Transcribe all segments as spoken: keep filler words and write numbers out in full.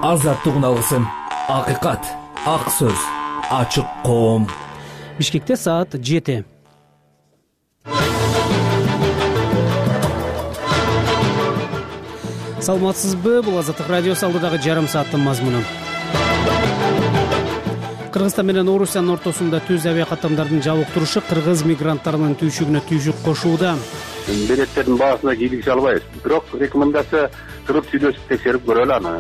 азаттык алсын. Акыйкат, ак сөз, ачык коом. Бишкекте саат жети. Саламатсызбы? Бул Азаттык радиосу алдыдагы жарым сааттын мазмуну. Кыргызстан менен Орусиянын ортосунда түз авиа каттамдардын жабык турушу кыргыз мигранттарынын түйшүгүнө түйшүк кошууда. Билеттердин баасына кийлигише албайбыз. Бирок рекомендация кырып сүйлөшүп текшерип көрөлү аны.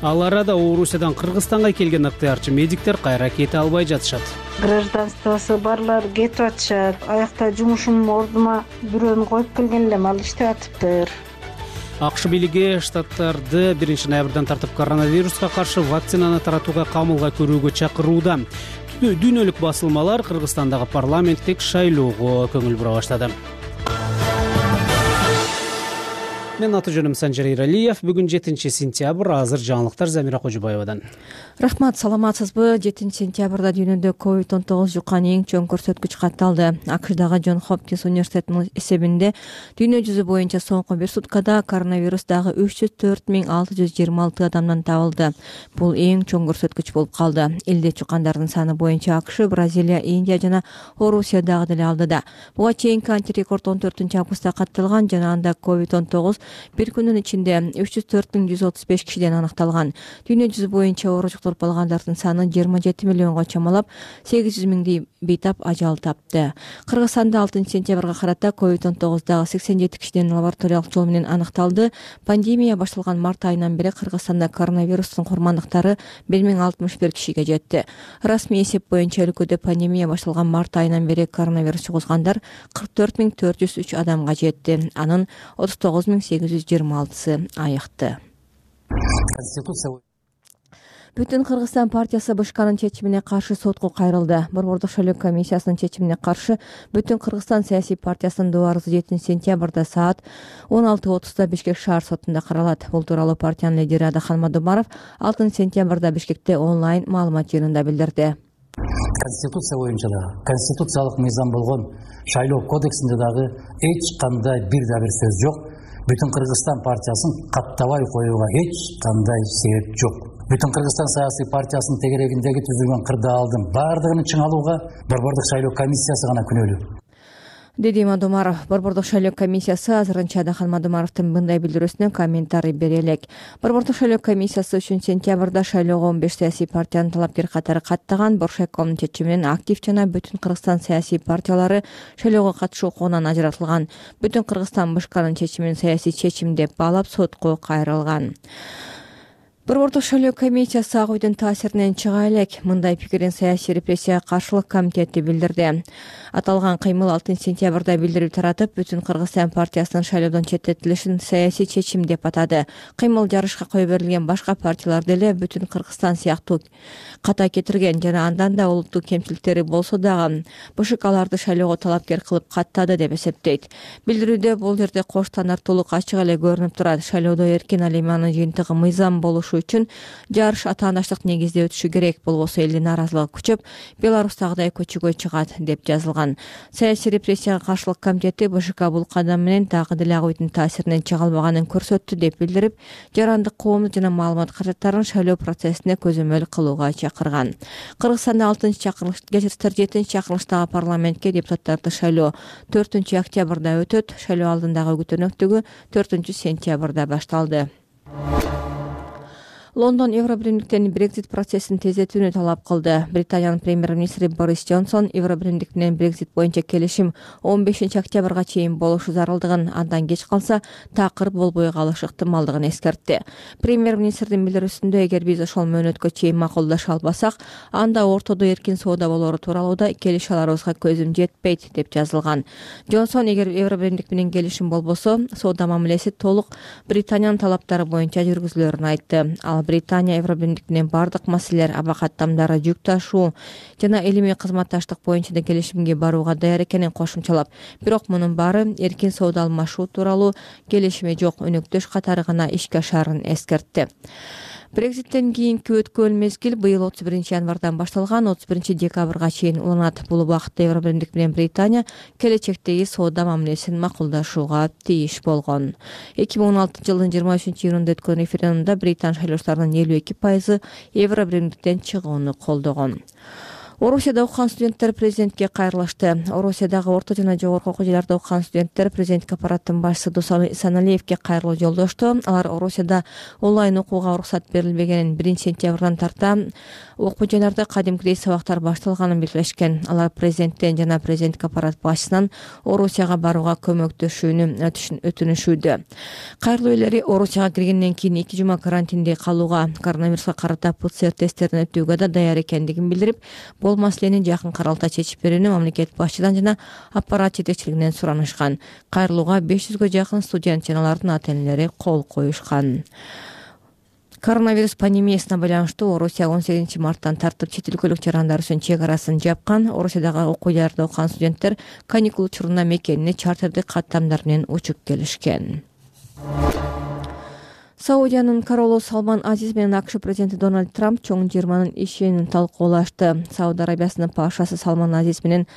Ал арада Орусиядан Кыргызстанга келген ыктыярчы медиктер кайра кете албай жатышат. Гражданствосу барлар кетип атышат. Аякта жумушум ордума бирөөнү коюп келген элем, ал иштеп атыптыр. АКШ бийлиги штаттарды биринчи ноябрдан тартып коронавируска каршы вакцинаны таратууга камылга көрүүгө чакырууда. Дүйнөлүк басылмалар Кыргызстандагы парламенттик шайлоого көңүл бура баштады. Мен аты жөнүм Санжар Иралиев. Бүгүн жетинчи сентябрь. Азыр жаңылыктар Замира Кожубаевадан. Рахмат, саламатсызбы? жетинчи сентябрда дүйнөдө ковид он тогуз жуккан эң чоң көрсөткүч катталды. АКШдагы Джон Хопкинс университетинин эсебинде дүйнө жүзү боюнча соңку бир суткада коронавирус дагы үч жүз төрт миң алты жүз жыйырма алты адамдан табылды. Бул эң чоң көрсөткүч болуп калды. Элде чуккандардын саны боюнча АКШ, Бразилия, Индия жана Орусия дагы деле алдыда. Буга чейинки антирекорд он төртүнчү августта катталган жана анда ковид он тогуз бир күнүн ичинде үч жүз төрт миң жүз отуз беш кишиден аныкталган. Дүйнө жүзү боюнча оору жуктуруп алгандардын саны жыйырма жети миллионго чамалап, сегиз жүз миңди бейтап ажал тапты. Кыргызстанда алтынчы сентябрга карата ковид он тогуз дагы сексен жети кишиден лабораториялык жол менен аныкталды. Пандемия башталган март айынан бери Кыргызстанда коронавирустун курмандыктары бир миң алтымыш бир кишиге жетти. Расмий эсеп боюнча өлкөдө пандемия башталган март айынан бери коронавирус жугузгандар кырк төрт миң төрт жүз үч адамга жетти. Анын отуз тогуз миң сегиз жүз жыйырма алтысы айыкты. Бүтүн Кыргызстан партиясы БШКнын чечимине каршы сотко кайрылды. Борбордук шайлоо комиссиясынын чечимине каршы Бүтүн Кыргызстан саясий партиясынын доо арызы жетинчи сентябрда саат он алты отузда Бишкек шаар сотунда каралат. Бул тууралуу партиянын лидери Адахан Мадумаров алтынчы сентябрда Бишкекте онлайн маалымат жыйынында билдирди. Конституция боюнча да, конституциялык мыйзам болгон шайлоо кодексинде дагы эч кандай бир да бир сөз жок. Бүтүн Кыргызстан партиясын каттабай коюуга эч кандай себеп жок. Бүтүн Кыргызстан саясий партиясынын тегерегиндеги түзүлгөн кырдаалдын баардыгын чыңалууга Борбордук шайлоо комиссиясы гана күнөөлүү, деди Мадумаров. Борбордук шайлоо комиссиясы азырынча Адахан Мадумаровдун мындай билдирүүсүнө комментарий бере элек. Борбордук шайлоо комиссиясы үчүнчү сентябрда шайлоого он беш саясий партиянын талапкер катары каттаган. Боршайкомдун чечими менен актив жана Бүтүн Кыргызстан саясий партиялары шайлоого катышуу укугунан ажыратылган. Бүтүн Кыргызстан БШКнын чечимин саясий чечим деп баалап сотко кайрылган. Борбордук шайлоо комиссиясы ак үйдүн таасиринен чыга элек. Мындай пикирин саясий репрессияга каршылык комитети билдирди. Аталган кыймыл алтынчы сентябрда билдирүү таратып, Бүтүн Кыргызстан партиясынын шайлоодон четтетилишин саясий чечим деп атады. Кыймыл жарышка кое берилген башка партиялар деле Бүтүн Кыргызстан сыяктуу ката кетирген жана андан да улуттук кемчиликтери болсо дагы БШК аларды шайлоого талапкер кылып каттады деп эсептейт. Билдирүүдө бул жерде кош стандарттуулук ачык эле көрүнүп турат. Шайлоодо эркин алиманын жыйынтыгы мыйзам болушу үчүн жарыш атаандаштык негизде өтүшү керек, болбосо элдин нааразылыгы күчөп, Беларустагыдай көчөгө чыгат деп жазылган. Саясий репрессияга каршылык комитети БШК бул кадам менен дагы деле ак үйдүн таасиринен чыга албаганын көрсөттү деп билдирип, жарандык коомдук жана маалымат каражаттарын шайлоо процессине көзөмөл кылууга чакырган. Кыргызстанда алтынчы чакырылыш жетинчи чакырылыштагы парламентке депутаттарды шайлоо төртүнчү октябрда өтөт. Шайлоо алдындагы күтүнөктүгү төртүнчү сентябрда башталды. Лондон Евробиримдиктен Брексит процессин тездетүүнү талап кылды. Британиянын премьер-министри Борис Джонсон Евробиримдик менен Брексит боюнча келишим он бешинчи октябрга чейин болушу зарылдыгын, андан кеч калса такыр болбой калышы ыктымалдыгын эскертти. Премьер-министрдин билдирүүсүндө, эгер биз ошол мөөнөткө чейин макулдаша албасак, анда ортодо эркин соода болоору тууралуу да келише аларыбызга көзүм жетпейт деп жазылган. Джонсон, эгер Евробиримдик менен келишим болбосо, соода мамилеси толук Британиянын талаптары боюнча жүргүзүлөрүн айтты. Ал Британия Евробиримдик менен бардык маселелер, аба каттамдары, жүк ташуу жана илимий кызматташтык боюнча да келишимге барууга даяр экенин кошумчалап, бирок мунун баары эркин соода алмашуу тууралуу келишими жок өнөктөш катары гана ишке ашаарын эскертти. Брекситтен кийинки өткөн мезгил быйыл отуз биринчи январдан башталган, отуз биринчи декабрга чейин уланат. Бул убакытта Евробиримдик менен Британия келечектеги соода мамилесин макулдашууга тийиш болгон. эки миң он алтынчы жылдын жыйырма үчүнчү июнунда өткөн референдумда Британ шайлоочуларынын элүү эки пайызы Евробиримдиктен чыгууну колдогон. Орусияда окуган студенттер президентке кайрылышты. Орусиядагы орто жана жогорку окуу жайларда окуган студенттер президентке аппараттын башчысы Дусан Исаналиевке кайрылуу жолдошту. Алар Орусияда онлайн окууга уруксат берилбегенин, биринчи сентябрдан тарта окуу жайларда кадимкидей сабактар башталганын белгилешкен. Алар президенттен жана президенттик аппарат башчысынан Орусияга барууга көмөктөшүүнү өтүнүшүүдө. Кайрылуу ээлери Орусияга киргенден кийин эки жума карантинде калууга, коронавируска карата ПЦР тесттерин өтүүгө да даяр экендигин билдирип, бул маселени жакын каралта чечип берүүнү мамлекет башчыдан жана аппарат жетекчилигинен суранышкан. Кайрылууга беш жүзгө жакын студент жана алардын ата-энелери кол коюшкан. Коронавирус пандемиясына байланыштуу Орусия он сегизинчи марттан тартып чет өлкөлүк жарандар үчүн чек арасын жапкан. Орусиядагы окуу жайларда окуган студенттер каникул учурунда мекенине чартердик каттамдар менен учуп келишкен. Саудиянын королу Салман Азиз менен АКШ президенти Дональд Трамп чоң жыйырманын ишин талкуулашты. Сауд Арабиясынын пашасы Салман Азиз менен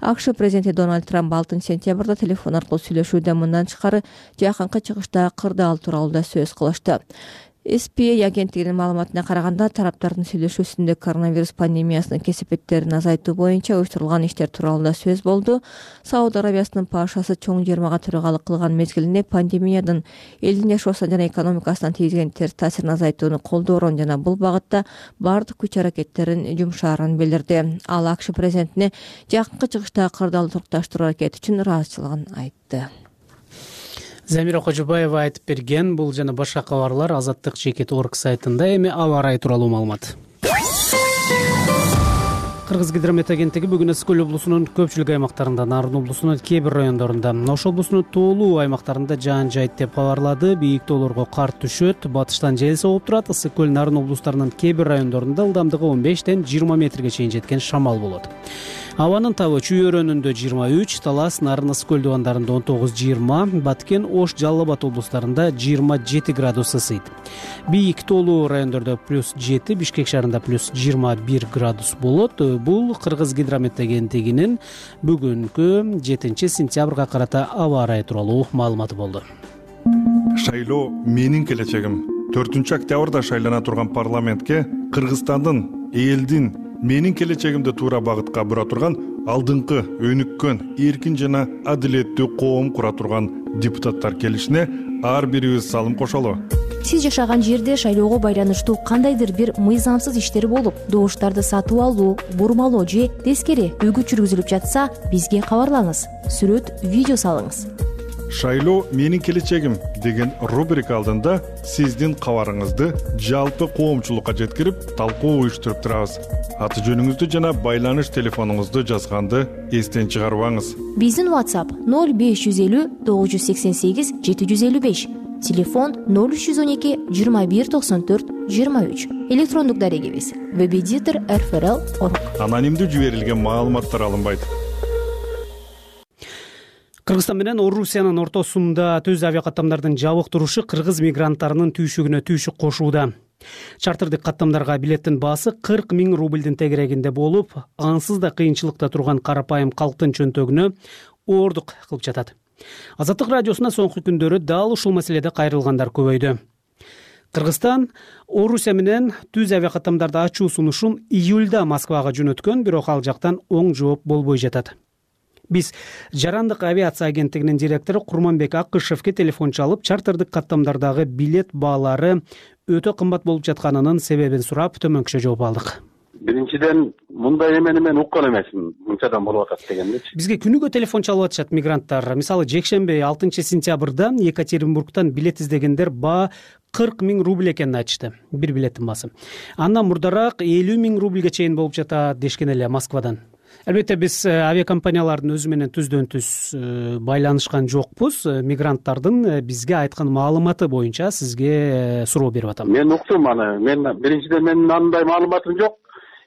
АКШ президенти Дональд Трамп алтынчы сентябрда телефон аркылуу сүйлөшүүдө мындан тышкары жакынкы чыгышта кырдаал тууралуу да сөз кылышты. эс пи эй агенттигинин маалыматына караганда, тараптардын сүйлөшүүсүндө коронавирус пандемиясынын кесепеттерин азайтуу боюнча уюштурулган иштер тууралуу да сөз болду. Сауд Арабиясынын пашасы чоң жыйырмага төрагалык кылган мезгилинде пандемиядын элдин жашоосуна жана экономикасына тийгизген терс таасирин азайтууну колдоорун жана бул багытта баардык күч аракеттерин жумшаарын билдирди. Ал АКШ президентине жакынкы чыгышта кырдаалды токтоштуруу аракети үчүн ыраазычылыгын айтты. Замира Кожобаева айтып берген. Бул жана башка кабарлар Азаттык жеке орг сайтында. Эми аба ырайы тууралуу маалымат. Кыргызгидромет агенттиги бүгүн Ысык-Көл облусунун көпчүлүк аймактарында, Нарын облусунун кээ бир райондорунда, Ош облусунун тоолуу аймактарында жаан жайт деп кабарлады. Бийик тоолорго кар түшөт, батыштан жел согуп турат. Ысык-Көл, Нарын облустарынын кээ бир райондорунда ылдамдыгы он бештен жыйырма метрге чейин жеткен шамал болот. Абанын табы Чүй өрөөнүндө жыйырма үч, Талас, Нарын, Ысык-Көл дубандарында он тогуз жыйырма, Баткен, Ош, Жалал Абад облустарында жыйырма жети градус ысыйт. Бийик тоолуу райондордо плюс жети, Бишкек шаарында плюс жыйырма бир градус болот. Бул Кыргызгидромет агенттигинин бүгүнкү жетинчи сентябрга карата аба ырайы тууралуу маалыматы болду. Шайлоо менин келечегим. төртүнчү октябрда шайлана турган парламентке Кыргызстандын, элдин менин келечегимди туура багытка бура турган алдыңкы, өнүккөн, эркин жана адилеттүү коом кура турган депутаттар келишине ар бирибиз салым кошолу. Сиз жашаган жерде шайлоого байланыштуу кандайдыр бир мыйзамсыз иштер болуп, добуштарды сатып алуу, бурмалоо же тескери үгүт жүргүзүлүп жатса, бизге кабарлаңыз. Сүрөт, видео салыңыз. Шайлоо менин келечегим деген рубрика алдында сиздин кабарыңызды жалпы коомчулукка жеткирип, талкуу уюштуруп турабыз. Аты жөнүңүздү жана байланыш телефонуңузду жазганды эстен чыгарбаңыз. Биздин WhatsApp ноль беш жүз элүү тогуз жүз сексен сегиз жети жүз элүү беш, телефон ноль үч жүз он эки жыйырма бир токсон төрт жыйырма үч, электрондук дарегибиз веб-эдитор эр эф эр эл точка орг. Анонимдүү жиберилген маалыматтар алынбайт. Кыргызстан менен Орусиянын ортосунда түз авиакаттамдардын жабык турушу кыргыз мигранттарынын түйшүгүнө түйшүк кошууда. Чартердик каттамдарга билеттин баасы кырк миң рубльдин тегерегинде болуп, ансыз да кыйынчылыкта турган карапайым калктын чөнтөгүнө оордук кылып жатат. Азаттык радиосуна соңку күндөрү дал ушул маселеде кайрылгандар көбөйдү. Кыргызстан Орусия менен түз авиакаттамдарды ачуу сунушун июлда Москвага жөнөткөн, бирок ал жактан оң жооп болбой жатат. Биз Жарандык авиация агенттигинин директору Курманбек Акышевке телефон чалып, чартердик каттамдардагы билет баалары өтө кымбат болуп жатканынын себебин сурап, төмөнкүчө жооп алдык. Биринчиден, мындай эмени мен уккан эмесмин, мынчадан болуп атат дегенчи. Бизге күнүгө телефон чалып атышат мигранттар. Мисалы, жекшемби алтынчы сентябрда Екатеринбургтан билет издегендер баа кырк миң рубль экенин айтышты. Бир билеттин баасы. Андан мурдараак элүү миң рубльге чейин болуп жатат дешкен эле Москвадан. Албетте биз авиакомпаниялардын өзү менен түздөн түз байланышкан жокпуз. Мигранттардын бизге айткан маалыматы боюнча сизге суроо берип атам. Мен уктум аны. Мен биринчиден менин андай маалыматым жок.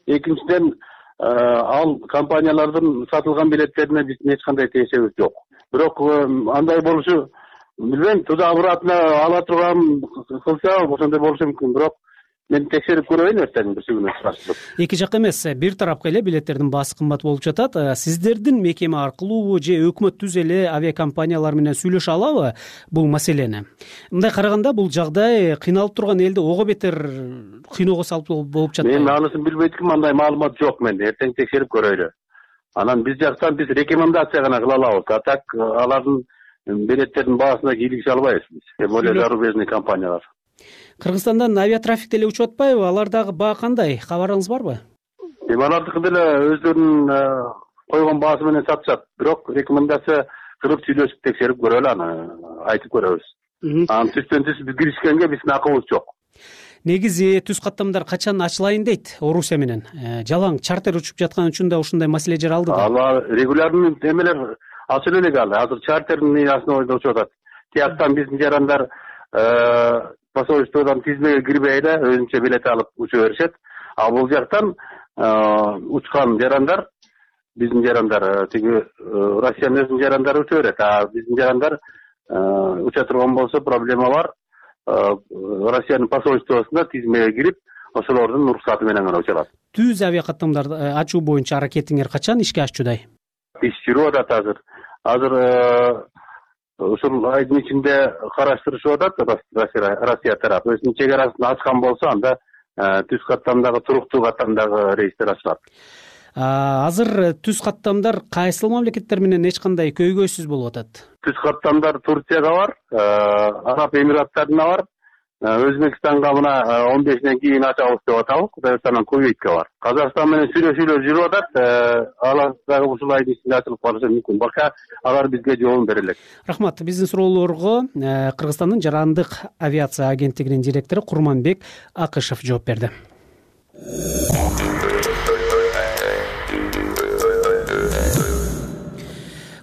Экинчиден ал компаниялардын сатылган билеттерине биздин эч кандай тиешебиз жок. Бирок андай болушу билбейм, туда обратно ала турган кылса ошондой болушу мүмкүн. Бирок мен текшерип көрөйүн эртең бир күнү сураштырып. Эки жак эмес, бир тарапка эле билеттердин баасы кымбат болуп жатат. Сиздердин мекеме аркылуу же өкмөт түз эле авиакомпаниялар менен сүйлөшө алабы бул маселени? Мындай караганда бул жагдай кыйналып турган элди ого бетер кыйноого салып болуп жатпайбы? Мен анысын билбейт экенмин, андай маалымат жок менде. Эртең текшерип көрөйлү. Анан биз жактан биз рекомендация гана кыла алабыз. А так алардын билеттердин баасына кийлигише албайбыз биз. Тем более зарубежный компаниялар. Кыргызстандан авиатрафик деле учуп атпайбы? Алардагы баа кандай? Кабарыңыз барбы? Эми алардыкы деле өздөрүнүн койгон баасы менен сатышат. Бирок рекомендация кылып сүйлөшүп текшерип көрөлү, аны айтып көрөбүз. Анан түстөн түз биз киришкенге биздин акыбыз жок. Негизи түз каттамдар качан ачылайын дейт Орусия менен? Жалаң чартер учуп жаткан үчүн да ушундай маселе жаралды да. Ал регулярный эмелер ачылып элек ал. Азыр чартердин основада учуп атат. Тияктан биздин жарандар посольстводон тизмеге кирбей эле өзүнчө билет алып учуп беришет. А бул жактан учкан жарандар, биздин жарандар, тиги Россиянын өзүнүн жарандары учуп берет. А биздин жарандар уча турган болсо проблема бар. Россиянын посольствосуна тизмеге кирип, ошолордун уруксаты менен гана уча алат. Түз авиакаттамдарды ачуу боюнча аракетиңер качан ишке ашчудай? Иш жүрүп атат азыр. Азыр ушул айдын ичинде караштырышып атат Россия тарапы. Өзүнүн чек арасын ачкан болсо, анда түз каттамдагы, туруктуу каттамдагы рейстер ачылат. Азыр түз каттамдар кайсыл мамлекеттер менен эч кандай көйгөйсүз болуп атат? Түз каттамдар Турцияга бар, Араб Эмираттарына бар, Өзбекстанга мына он бешинен кийин ачабыз деп атабыз, Кыргызстандан Кувейтке бар. Казакстан менен сүйлөшүүлөр жүрүп атат, алар дагы ушул айдын ичинде ачылып калышы мүмкүн. Бака алар бизге жообун бере элек. Рахмат. Биздин суроолорго Кыргызстандын жарандык авиация агенттигинин директору Курманбек Акышев жооп берди.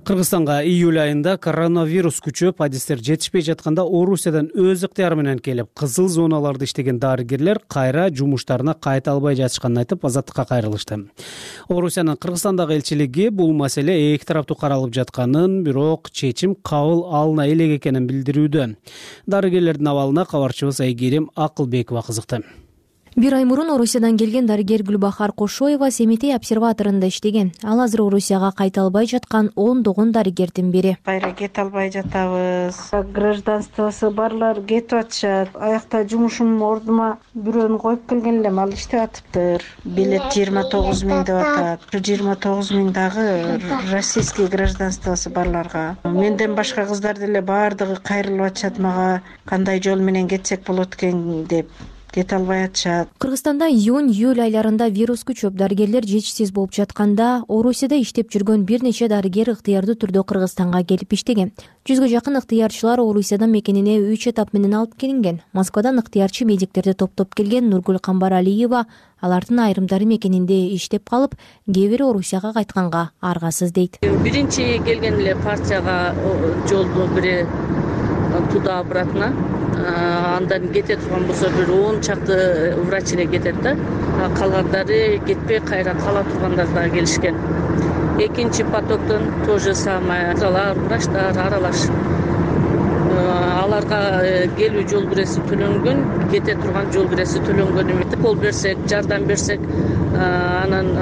Кыргызстанга июль айында коронавирус күчөп, адистер жетишпей жатканда Орусиядан өз ыктыяры менен келип, кызыл зоналарда иштеген дарыгерлер кайра жумуштарына кайта албай жатышканын айтып, азаттыкка кайрылышты. Орусиянын Кыргызстандагы элчилиги бул маселе эки тараптуу каралып жатканын, бирок чечим кабыл алына элек экенин билдирүүдө. Дарыгерлердин абалына кабарчыбыз Айгерим Акылбекова кызыкты. Бир ай мурун Орусиядан келген дарыгер Гүлбахар Кошоева Семетей обсерваторунда иштеген. Ал азыр Орусияга кайта албай жаткан ондогон дарыгердин бири. Кайра кете албай жатабыз. Гражданствосы барлар кетип атышат. Аякта жумушум ордума бирөөнү коюп келген элем, ал иштеп атыптыр. Билет жыйырма тогуз миң деп атат. жыйырма тогуз миң дагы российский гражданствосы барларга. Менден башка кыздар деле баардыгы кайрылып атышат мага, кандай жол менен кетсек болот экен деп. Кете албай атышат. Кыргызстанда июнь-июль айларында вирус күчөп, дарыгерлер жетишсиз болуп жатканда, Орусияда иштеп жүргөн бир нече дарыгер ыктыярдуу түрдө Кыргызстанга келип иштеген. Жүзгө жакын ыктыярчылар Орусиядан мекенине үч этап менен алып келинген. Москвадан ыктыярчы медиктерди топтоп келген Нургүл Камбаралиева алардын айрымдары мекенинде иштеп калып, кээ бири Орусияга кайтканга аргасыз дейт. Биринчи келген эле партияга жолду бири туда обратно. Андан кете турган болсо бир он чакты врач эле кетет да. Калгандары кетпей кайра кала тургандар да келишкен. Экинчи потоктон то же самое. Алар врачтар аралаш. Аларга келүү жол киреси төлөнгөн, кете турган жол киреси төлөнгөн эмес. Кол берсек, жардам берсек, анан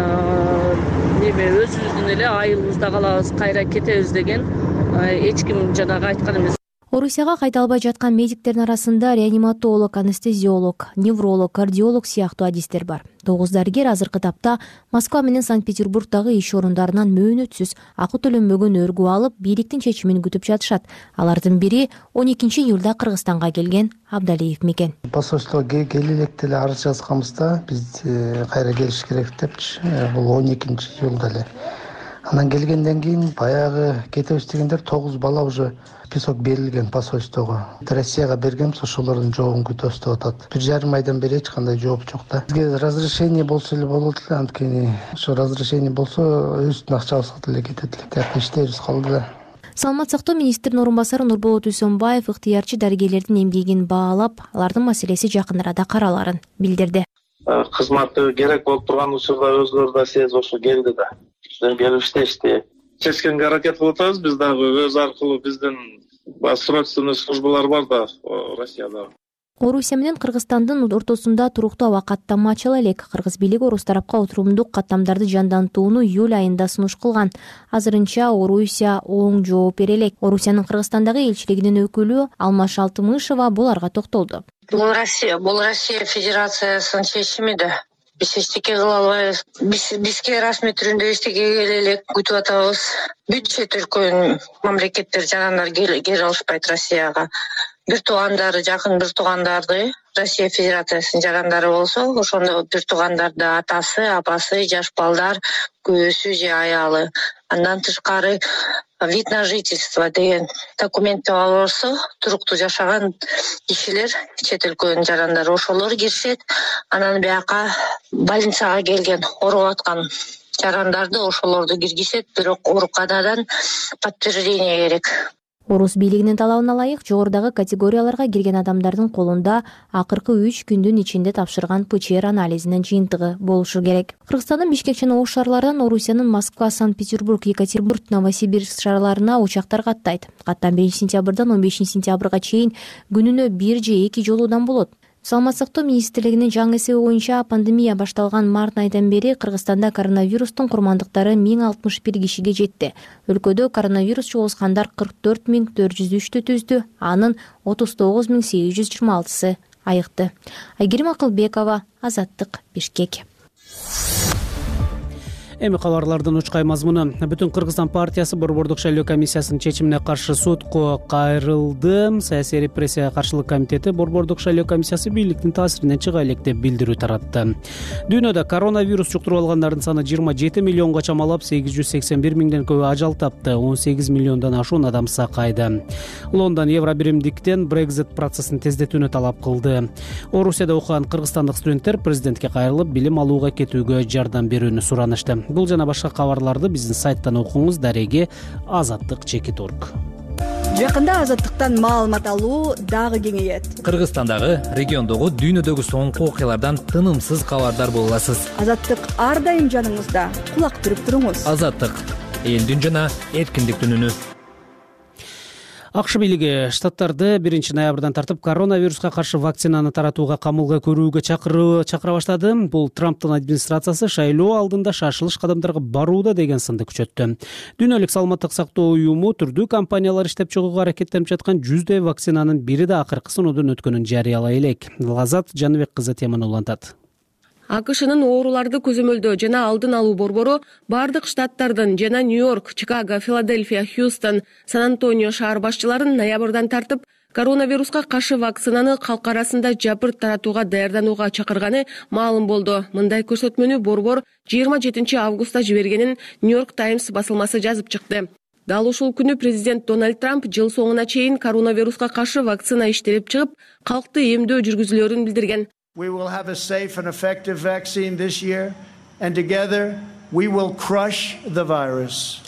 неме өзүбүздүн эле айылыбызда калабыз, кайра кетебиз деген эч ким жанагы айткан эмес. Орусияга кайта албай жаткан медиктердин арасында реаниматолог, анестезиолог, невролог, кардиолог сыяктуу адистер бар. Тогуз дарыгер азыркы тапта Москва менен Санкт-Петербургдагы иш орундарынан мөөнөтсүз акы төлөнбөгөн өргүү алып, бийликтин чечимин күтүп жатышат. Алардын бири он экинчи июлда Кыргызстанга келген Абдалиев мекен. Посольствого кели элек деле арыз жазганбызда, биз кайра келиш керек депчи, бул он экинчи июлда эле. Анан келгенден кийин баягы кетебиз дегендер тогуз бала уже список берилген посольствого. Россияга бергенбиз, ошолордун жообун күтөбүз деп атат. Бир жарым айдан бери эч кандай жооп жок да. Бизге разрешение болсо эле болот эле, анткени ошо разрешение болсо өзүбүздүн акчабызга деле кетет эле. Тияк иштебиз калды да. Саламат сактоо министринин орун басары Нурболот Үсөнбаев ыктыярчы дарыгерлердин эмгегин баалап, алардын маселеси жакын арада караларын билдирди. Кызматы керек болуп турган учурда өзүлөрү да сезип ошо келди да. Келип иштешти. Чечкенге аракет кылып атабыз, биз дагы өз аркылуу биздин срочный службалар бар да Россияда. Орусия менен Кыргызстандын ортосунда туруктуу аба каттама ачыла элек. Кыргыз бийлиги орус тарапка отурумдук каттамдарды жандантууну июль айында сунуш кылган. Азырынча Орусия оң жооп бере элек. Орусиянын Кыргызстандагы элчилигинин өкүлү Алмаш Алтымышева буларга токтолду. Бул Россия, бул Россия Федерациясынын чечими да. Биз эчтеке кыла албайбыз. Биз бизге расмий түрүндө эчтеке келе элек күтүп атабыз. Бүт чет өлкөнүн мамлекеттер жарандар келе алышпайт Россияга. Бир туугандары, жакын бир туугандарды Россия Федерациясынын жарандары болсо, ошондо бир туугандарды атасы, апасы, жаш балдар, күйөөсү же аялы. Андан тышкары вид на жительство деген документти алса, туруктуу жашаган кишилер, чет өлкөнүн жарандары, ошолор киришет. Анан бияка больницага келген, ооруп аткан жарандарды ошолорду киргизет, бирок ооруканадан подтверждение керек. Орус бийлигинин талабына ылайык жогорудагы категорияларга кирген адамдардын колунда акыркы үч күндүн ичинде тапшырган ПЧР анализинин жыйынтыгы болушу керек. Кыргызстандын Бишкек жана Ош шаарларынан Орусиянын Москва, Санкт-Петербург, Екатеринбург, Новосибирск шаарларына учактар каттайт. Каттам биринчи сентябрдан он бешинчи сентябрга чейин күнүнө бир же эки жолуудан болот. Саламаттык сактоо министрлигинин жаңы эсеби боюнча пандемия башталган март айынан бери Кыргызстанда коронавирустун курмандыктары миң алтымыш бир кишиге жетти. Өлкөдө коронавирус жугузгандар кырк төрт миң төрт жүз үчтү түздү, анын отуз тогуз миң сегиз жүз жыйырма алтысы айыкты. Айгерим Акылбекова, Азаттык, Бишкек. Эми кабарлардын учкай мазмуну. Бүтүн Кыргызстан партиясы Борбордук шайлоо комиссиясынын чечимине каршы сотко кайрылды. Саясий репрессияга каршылык комитети Борбордук шайлоо комиссиясы бийликтин таасиринен чыга элек деп билдирүү таратты. Дүйнөдө коронавирус жуктуруп алгандардын саны жыйырма жети миллионго чамалап, сегиз жүз сексен бир миңден көбү ажал тапты, он сегиз миллиондон ашуун адам сакайды. Лондон евро биримдиктен Brexit процессин тездетүүнү талап кылды. Орусияда окуган кыргызстандык студенттер президентке кайрылып, билим алууга кетүүгө жардам берүүнү суранышты. Бул жана башка кабарларды биздин сайттан окуңуз. Дареги азаттык чекит орг. Жакында азаттыктан маалымат алуу дагы кеңейет. Кыргызстандагы, региондогу, дүйнөдөгү соңку окуялардан тынымсыз кабардар боло аласыз. Азаттык ар дайым жаныңызда. Кулак түрүп туруңуз. Азаттык элдин жана эркиндиктин үнү. АКШ бийлиги штаттарды биринчи ноябрдан тартып коронавируска каршы вакцинаны таратууга камылга көрүүгө чакыруу чакыра баштады. Бул Трамптын администрациясы шайлоо алдында шашылыш кадамдарга барууда деген сынды күчөттү. Дүйнөлүк саламаттык сактоо уюму түрдүү компаниялар иштеп чыгууга аракеттенип жаткан жүздөй вакцинанын бири да акыркы сыноодон өткөнүн жарыялай элек. Лазат Жаныбек кызы теманы улантат. АКШнын ооруларды көзөмөлдөө жана алдын алуу борбору бардык штаттардын жана Нью-Йорк, Чикаго, Филадельфия, Хьюстон, Сан-Антонио шаар башчыларын ноябрдан тартып коронавируска каршы вакцинаны калк арасында жапырт таратууга даярданууга чакырганы маалым болду. Мындай көрсөтмөнү борбор жыйырма жетинчи августта жибергенин Нью-Йорк Таймс басылмасы жазып чыкты. Дал ушул күнү президент Дональд Трамп жыл соңуна чейин коронавируска каршы вакцина иштелип чыгып, калкты эмдөө жүргүзүлөрүн билдирген. We will have a safe and effective vaccine this year, and together we will crush the virus.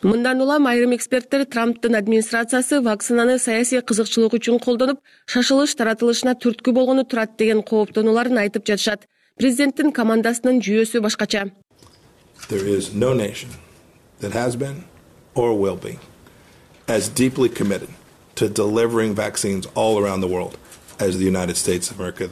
Мындан улам айрым эксперттер Трамптын администрациясы вакцинаны саясий кызыкчылык үчүн колдонуп, шашылыш таратылышына түрткү болгону турат деген кооптонууларын айтып жатышат. Президенттин командасынын жүйөсү башкача. There is no nation that has been or will be as deeply committed to delivering vaccines all around the world as the United States of America.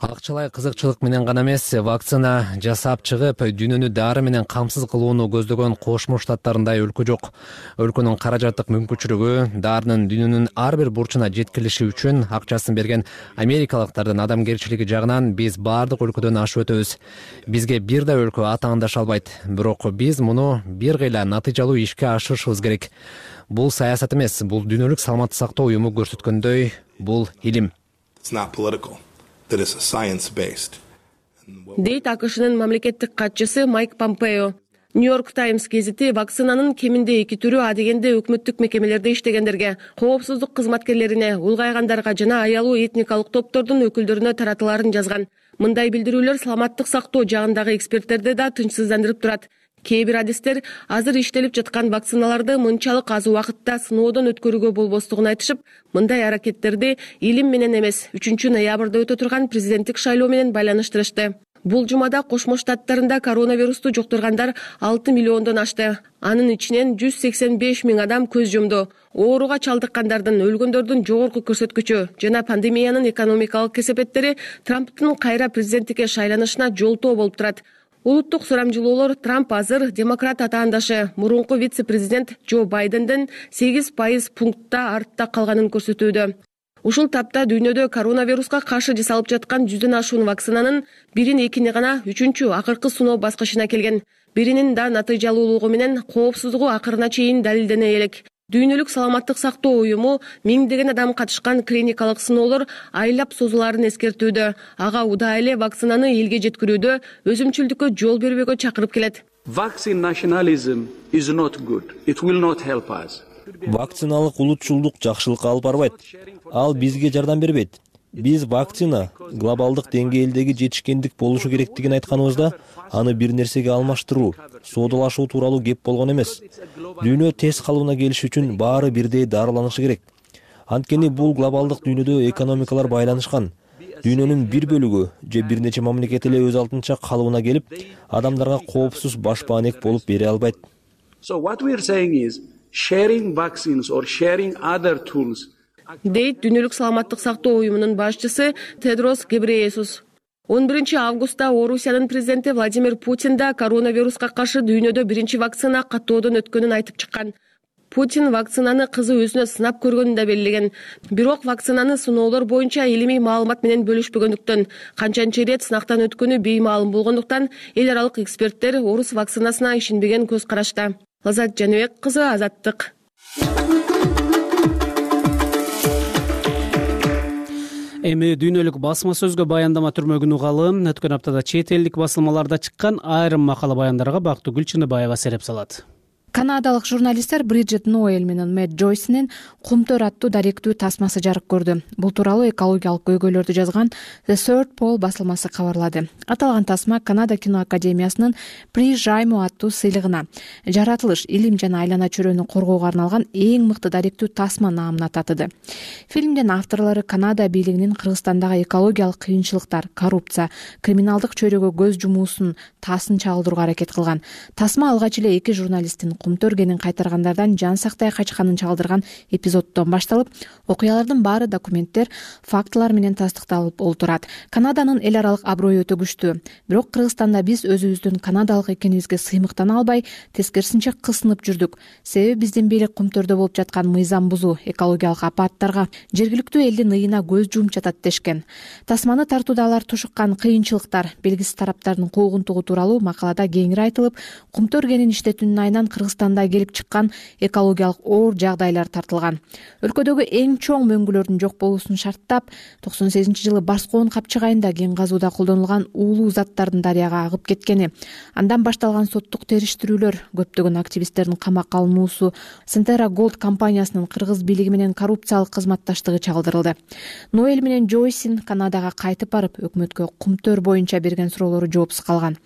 Акчалай кызыкчылык менен гана эмес, вакцина жасап чыгып, дүйнөнү дары менен камсыз кылууну көздөгөн Кошмо Штаттарындай өлкө жок. Өлкөнүн каражаттык мүмкүнчүлүгү, дарынын дүйнөнүн ар бир бурчуна жеткирилиши үчүн акчасын берген америкалыктардын адамгерчилиги жагынан биз бардык өлкөдөн ашып өтөбүз. Бизге бир да өлкө атаандаша албайт. Бирок биз муну бир кыйла натыйжалуу ишке ашырышыбыз керек. Бул саясат эмес, бул дүйнөлүк саламаттык сактоо уюму көрсөткөндөй, бул илим. It's not political. That is science-based. Дейт АКШнын мамлекеттик катчысы Майк Помпео. Нью-Йорк Таймс гезити вакцинанын кеминде эки түрү адегенде өкмөттүк мекемелерде иштегендерге, коопсуздук кызматкерлерине, улгайгандарга жана аялуу этникалык топтордун өкүлдөрүнө таратылаарын жазган. Мындай билдирүүлөр саламаттык сактоо жагындагы эксперттерди да тынчсыздандырып турат. Кээ бир адистер азыр иштелип жаткан вакциналарды мынчалык аз убакытта сыноодон өткөрүүгө болбостугун айтышып, мындай аракеттерди илим менен эмес, үчүнчү ноябрда өтө турган президенттик шайлоо менен байланыштырышты. Бул жумада Кошмо Штаттарында коронавирусту жуктургандар алты миллиондон ашты. Анын ичинен жүз сексен беш миң адам көз жумду. Ооруга чалдыккандардын, өлгөндөрдүн жогорку көрсөткүчү жана пандемиянын экономикалык кесепеттери Трамптын кайра президенттикке шайланышына жолтоо болуп турат. Улуттук сурамжылоолор Трамп азыр демократ атаандашы мурунку вице-президент Джо Байденден сегиз пайыз пунктта артта калганын көрсөтүүдө. Ушул тапта дүйнөдө коронавируска каршы жасалып жаткан жүздөн ашуун вакцинанын бирин экини гана үчүнчү акыркы сыноо баскычына келген. Биринин да натыйжалуулугу менен коопсуздугу акырына чейин далилдене элек. Дүйнөлүк саламаттык сактоо уюму миңдеген адам катышкан клиникалык сыноолор айлап созулаарын эскертүүдө. Ага удаа эле вакцинаны элге жеткирүүдө өзүмчүлдүккө жол бербөөгө чакырып келет. Vaccine nationalism is not good. It will not help us. Вакциналык улутчулдук жакшылыкка алып барбайт. Ал бизге жардам бербейт. Биз вакцина глобалдык деңгээлдеги жетишкендик болушу керектигин айтканыбызда, аны бир нерсеге алмаштыруу, соодалашуу тууралуу кеп болгон эмес. Дүйнө тез калыбына келиш үчүн баары бирдей дарыланышы керек. Анткени бул глобалдык дүйнөдө экономикалар байланышкан. Дүйнөнүн бир бөлүгү же бир нече мамлекет эле өз алдынча калыбына келип, адамдарга коопсуз башпаанек болуп бере албайт. So what we are saying is sharing vaccines or sharing other tools. Дейт Дүйнөлүк саламаттык сактоо уюмунун башчысы Тедрос Гебрейесус. он биринчи августта Орусиянын президенти Владимир Путин да коронавируска каршы дүйнөдө биринчи вакцина каттоодон өткөнүн айтып чыккан. Путин вакцинаны кызы өзүнө сынап көргөнүн да белгилеген. Бирок вакцинаны сыноолор боюнча илимий маалымат менен бөлүшпөгөндүктөн, канчанчы ирет сынактан өткөнү беймаалым болгондуктан эл аралык эксперттер орус вакцинасына ишенбеген көз карашта. Лазат Жаныбек кызы, Азаттык. Эми дүйнөлүк басма сөзгө баяндама түрмөгүн угалы. Өткөн аптада чет элдик басылмаларда чыккан айрым макала баяндарга Бактыгүл Чыныбаева сереп салат. Канадалык журналисттер Бриджит Ноэль менен Мэтт Джойстин Кумтөр аттуу даректүү тасмасы жарык көрдү. Бул тууралуу экологиялык көйгөйлөрдү жазган The Third Pole басылмасы кабарлады. Аталган тасма Канада кино академиясынын При Жайму аттуу сыйлыгына жаратылыш, илим жана айлана чөйрөнү коргоого арналган эң мыкты даректүү тасма наамына татыды. Фильмдин авторлору Канада бийлигинин Кыргызстандагы экологиялык кыйынчылыктар, коррупция, криминалдык чөйрөгө көз жумуусун таасын чагылдырууга аракет кылган. Тасма алгач эле эки журналисттин Кумтөргенин кайтаргандардан жан сактай качканын чагылдырган эпизоддон башталып, окуялардын баары документтер, фактылар менен тастыкталып олтурат. Канаданын эл аралык аброю өтө күчтүү. Бирок Кыргызстанда биз өзүбүздүн канадалык экенибизге сыймыктана албай, тескерисинче кысынып жүрдүк. Себеби биздин бийлик Кумтөрдө болуп жаткан мыйзам бузуу, экологиялык апаттарга, жергиликтүү элдин ыйына көз жумуп жатат дешкен. Тасманы тартууда алар тушуккан кыйынчылыктар, белгисиз тараптардын куугунтугу тууралуу макалада кеңири айтылып, Кумтөргенин иштетүүнүн айынан Кыргызстанда келип чыккан экологиялык оор жагдайлар тартылган. Өлкөдөгү эң чоң мөңгүлөрдүн жок болуусун шарттап, токсон сегизинчи жылы Барскоон капчыгайында кен казууда колдонулган уулуу заттардын дарыяга агып кеткени, андан башталган соттук териштирүүлөр, көптөгөн активисттердин камакка алынуусу, Сентера Голд компаниясынын кыргыз бийлиги менен коррупциялык кызматташтыгы чагылдырылды. Ноэль менен Джойсин Канадага кайтып барып, өкмөткө Кумтөр боюнча берген суроолору жоопсуз калган.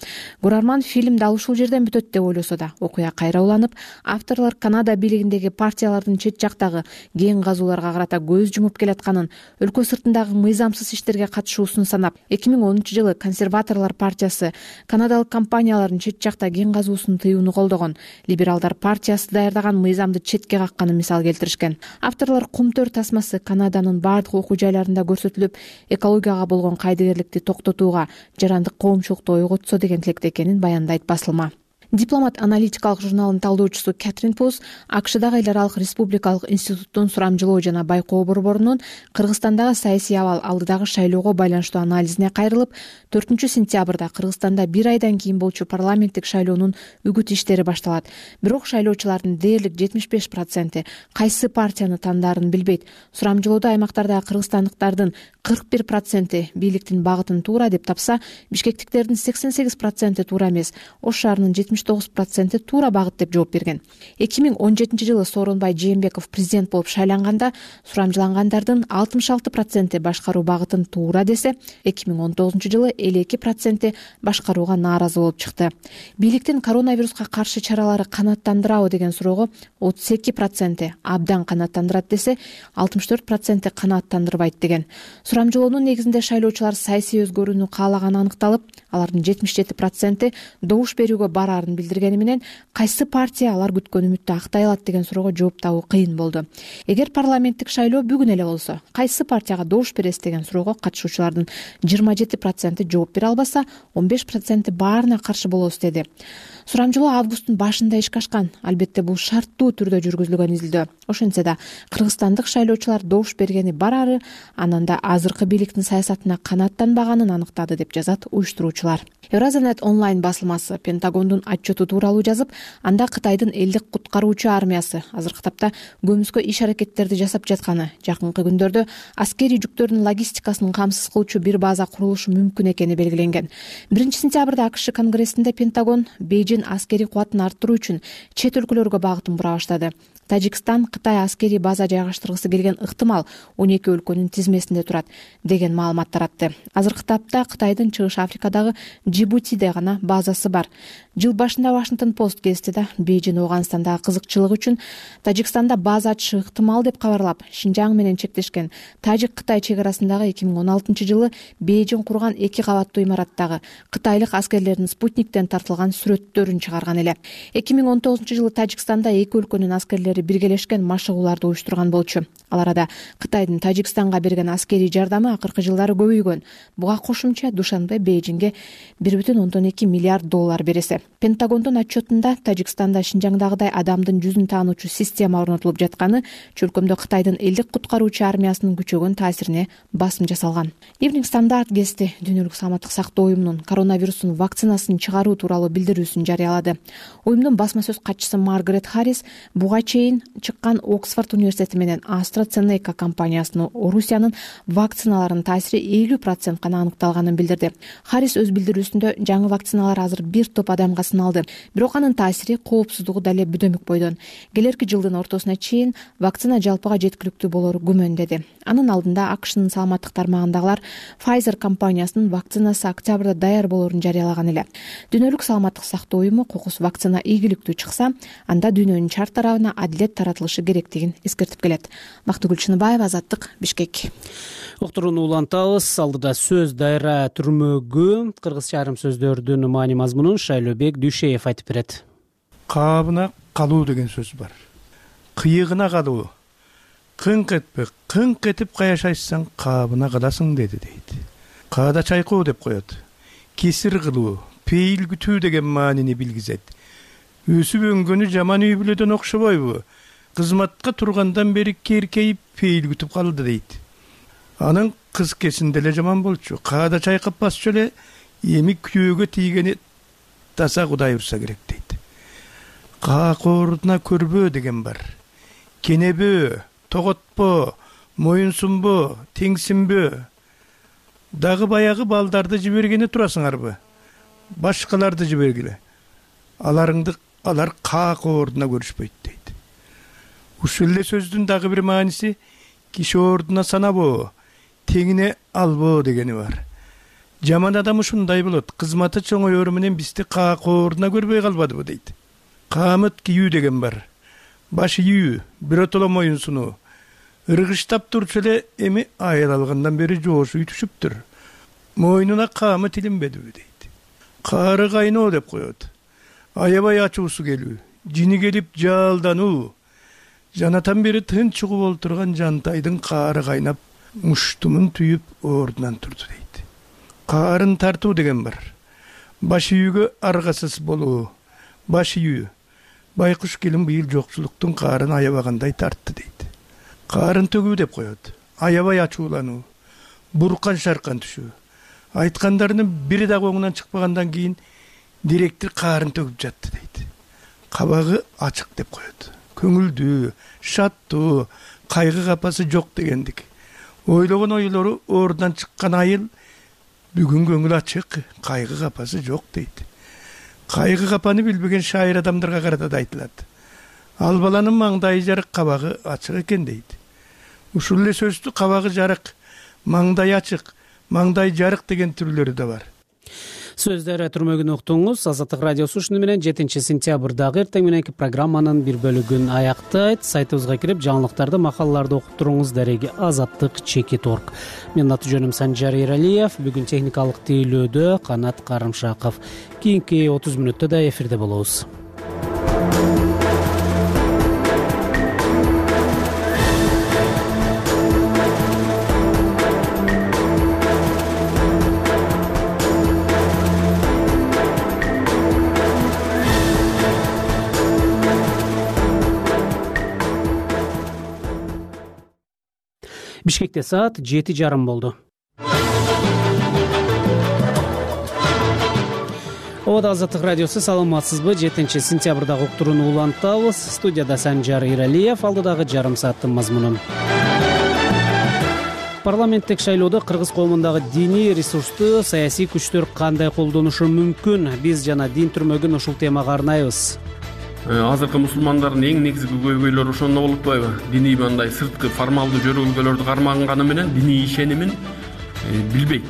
Көрөрман фильм дал ушул жерден бүтөт деп ойлосо да, окуя кайра уланып, авторлор Канада бийлигиндеги партиялардын чет жактагы кен казууларга карата көз жумуп келатканын, өлкө сыртындагы мыйзамсыз иштерге катышуусун санап, эки миң онунчу жылы консерваторлор партиясы канадалык компаниялардын чет жакта кен казуусун тыюуну колдогон, либералдар партиясы даярдаган мыйзамды четке какканын мисал келтиришкен. Авторлор Кумтөр тасмасы Канаданын бардык окуу жайларында көрсөтүлүп, экологияга болгон кайдыгерликти токтотууга, жарандык коомчулукту ойготсо деген тилекте экенин баяндайт басылма. Дипломат аналитикалык журналынын талдоочусу Кэтрин Пус АКШдагы эл аралык республикалык институттун сурамжылоо жана байкоо борборунун Кыргызстандагы саясий абал алдыдагы шайлоого байланыштуу анализине кайрылып, төртүнчү сентябрда Кыргызстанда бир айдан кийин болчу парламенттик шайлоонун үгүт иштери башталат. Бирок шайлоочулардын дээрлик жетимиш беш проценти кайсы партияны тандаарын билбейт. Сурамжылоодо аймактардагы кыргызстандыктардын кырк бир проценти бийликтин багытын туура деп тапса, бишкектиктердин сексен сегиз проценти туура эмес. Ош шаарынын жетимиш алтымыш тогуз проценти туура багыт деп жооп берген. эки миң он жетинчи жылы Сооронбай Жээнбеков президент болуп шайланганда сурамжылангандардын алтымыш алты проценти башкаруу багытын туура десе, эки миң он тогузунчу жылы элүү эки проценти башкарууга нааразы болуп чыкты. Бийликтин коронавируска каршы чаралары канааттандырабы деген суроого отуз эки проценти абдан канааттандырат десе, алтымыш төрт проценти канааттандырбайт деген. Сурамжылоонун негизинде шайлоочулар саясий өзгөрүүнү каалаганы аныкталып, алардын жетимиш жети проценти добуш берүүгө бараарын билдиргени менен кайсы партия алар күткөн үмүттү актай алат деген суроого жооп табуу кыйын болду. Эгер парламенттик шайлоо бүгүн эле болсо, кайсы партияга добуш бересиз деген суроого катышуучулардын жыйырма жети проценти жооп бере албаса, он беш проценти баарына каршы болобуз деди. Сурамжылоо августтун башында ишке ашкан. Албетте бул шарттуу түрдө жүргүзүлгөн изилдөө. Ошентсе да кыргызстандык шайлоочулар добуш бергени барары анан да азыркы бийликтин саясатына канааттанбаганын аныктады деп жазат уюштуруучулар. Евразанет онлайн басылмасы Пентагондун отчету тууралуу жазып, анда Кытайдын элдик куткаруучу армиясы азыркы тапта көмүскө иш аракеттерди жасап жатканы, жакынкы күндөрдө аскерий жүктөрдүн логистикасын камсыз кылуучу бир база курулушу мүмкүн экени белгиленген. биринчи сентябрда АКШ Конгрессинде Пентагон Бейжин аскерий кубатын арттыруу үчүн чет өлкөлөргө багытын бура баштады. Тажикстан Кытай аскерий база жайгаштыргысы келген ыктымал он эки өлкөнүн тизмесинде турат деген маалымат таратты. Азыркы тапта Кытайдын Чыгыш Африкадагы Джибутиде гана базасы бар. Жыл башында Washington Post газети да Бейжин Ооганстандагы кызыкчылык үчүн Тажикстанда база ачышы ыктымал деп кабарлап, Шинжаң менен чектешкен Тажик-Кытай чек арасындагы эки миң он алтынчы жылы Бейжин курган эки кабаттуу имараттагы кытайлык аскерлердин спутниктен тартылган сүрөттөрүн чыгарган эле. эки миң он тогузунчу жылы Тажикстанда эки өлкөнүн аскерлери биргелешкен машыгууларды уюштурган болчу. Ал арада Кытайдын Тажикстанга берген аскерий жардамы акыркы жылдары көбөйгөн. Буга кошумча Душанбе Бейжинге бир бүтүн ондон эки миллиард доллар бересе. Пентагондун отчетунда Тажикстанда Шинжаңдагыдай адамдын жүзүн таануучу система орнотулуп жатканы чөлкөмдө Кытайдын элдик куткаруучу армиясынын күчөгөн таасирине басым жасалган. Evening Standard газети Дүйнөлүк саламаттык сактоо уюмунун коронавирустун вакцинасын чыгаруу тууралуу билдирүүсүн жарыялады. Уюмдун басма сөз катчысы Маргарет Харрис буга чейин чыккан Оксфорд университети менен AstraZeneca компаниясынын Орусиянын вакциналарынын таасири элүү процент гана аныкталганын билдирди. Харрис өз билдирүүсүндө жаңы вакциналар азыр бир топ адамга сыналды, бирок анын таасири коопсуздугу дале бүдөмүк бойдон. Келерки жылдын ортосуна чейин вакцина жалпыга жеткиликтүү болору күмөн деди. Анын алдында АКШнын саламаттык тармагындагылар Pfizer компаниясынын вакцинасы октябрда даяр болорун жарыялаган эле. Дүйнөлүк саламаттык сактоо уюму кокус вакцина ийгиликтүү чыкса, анда дүйнөнүн чар тарабына адилет таратылышы керектигин эскертип келет. Бактыгүл Чыныбаева, Азаттык, Бишкек. Уктурууну улантабыз. Алдыда сөз дайра түрмөгү кыргызча айрым сөздөрдүн маани мазмунун Шайлообек Дүйшеев айтып берет. Каабына калуу деген сөз бар. Кыйыгына калуу. Кыңк этпе, кыңк этип каяшайсаң каабына каласың деди дейт. Каада чайкоо деп коет. Кесир кылуу, пейил күтүү деген маанини билгизет. Өсүп өнгөнү жаман үй бүлөдөн окшобойбу? Кызматка тургандан бери керкейип пейил күтүп калды дейт. Анын кыз кесинде эле жаман болчу. Каада чайкап басчу эле эми күйөөгө тийгени таза Кудай урса керек дейт. Каакоордуна көрбөө деген бар. Кенебөө, тоготпо, моюнсунбо, теңсинбөө. Дагы баягы балдарды жибергени турасыңарбы? Башкаларды жибергиле. Аларыңды алар каакоордуна көрүшпөйт дейт. Ушул эле сөздүн дагы бир мааниси киши ордуна санабоо, теңине албоо дегени бар. Жаман адам ушундай болот. Кызматы чоңоёру менен бизди каакоордуна көрбөй калбадыбы дейт. Каамыт кийүү деген бар. Баш ийүү, биротоло моюнсунуу. Ыргыштап турчу эле эми айыл алгандан бери жоошуй түшүптүр. Мойнуна каамы тилинбедиби дейт. Каары кайноо деп коет. Аябай ачуусу келүү, жини келип жаалдануу. Жанатан бери тынч угуп олтурган жантайдын каары кайнап, муштумун түйүп ордунан турду дейт. Каарын тартуу деген бар. Баш үйгө аргасыз болуу. Баш үйү. Байкуш келин быйыл жокчулуктун каарын аябагандай тартты дейт. Каарын төгүү деп коет. Аябай ачуулануу. Буркан шаркан түшүү. Айткандарынын бири дагы оңунан чыкпагандан кийин директор каарын төгүп жатты дейт. Кабагы ачык деп коет. Көңүлдүү, шаттуу, кайгы капасы жок дегендик. Ойлогон ойлору ордунан чыккан айыл бүгүн көңүл ачык, кайгы капасы жок дейт. кайгы капаны билбеген шайыр адамдарга карата да айтылат. Ал баланын маңдайы жарык, кабагы ачык экен дейт. Ушул эле сөздү кабагы жарык, маңдай ачык, маңдай жарык деген түрлөрү да бар. Сөздөр түрмөгүн уктуңуз. Азаттык радиосу ушуну менен жетинчи сентябрдагы эртең мененки программанын бир бөлүгүн аяктайт. Сайтыбызга кирип жаңылыктарды, макалаларды окуп туруңуз. Дареги азаттык чекит точка орг. Менин аты жөнүм Санжар Эралиев. Бүгүн техникалык тейлөөдө Канат Карымшаков. Кийинки отуз мүнөттө да эфирде болобуз. Бишкекте саат жети жарым болду. Обада Азаттык радиосу, саламатсызбы? жетинчи сентябрдагы уктурууну улантабыз. Студияда Санжар Иралиев, алдыдагы жарым сааттын мазмуну. Парламенттик шайлоодо кыргыз коомундагы диний ресурсту саясий күчтөр кандай колдонушу мүмкүн? Биз жана дин түрмөгүн ушул темага арнайбыз. Азыркы мусулмандардын эң негизги көйгөйлөрү ошондо болуп атпайбы? Диний мындай сырткы формалдуу жөргөлгөлөрдү кармаганы менен диний ишенимин билбейт.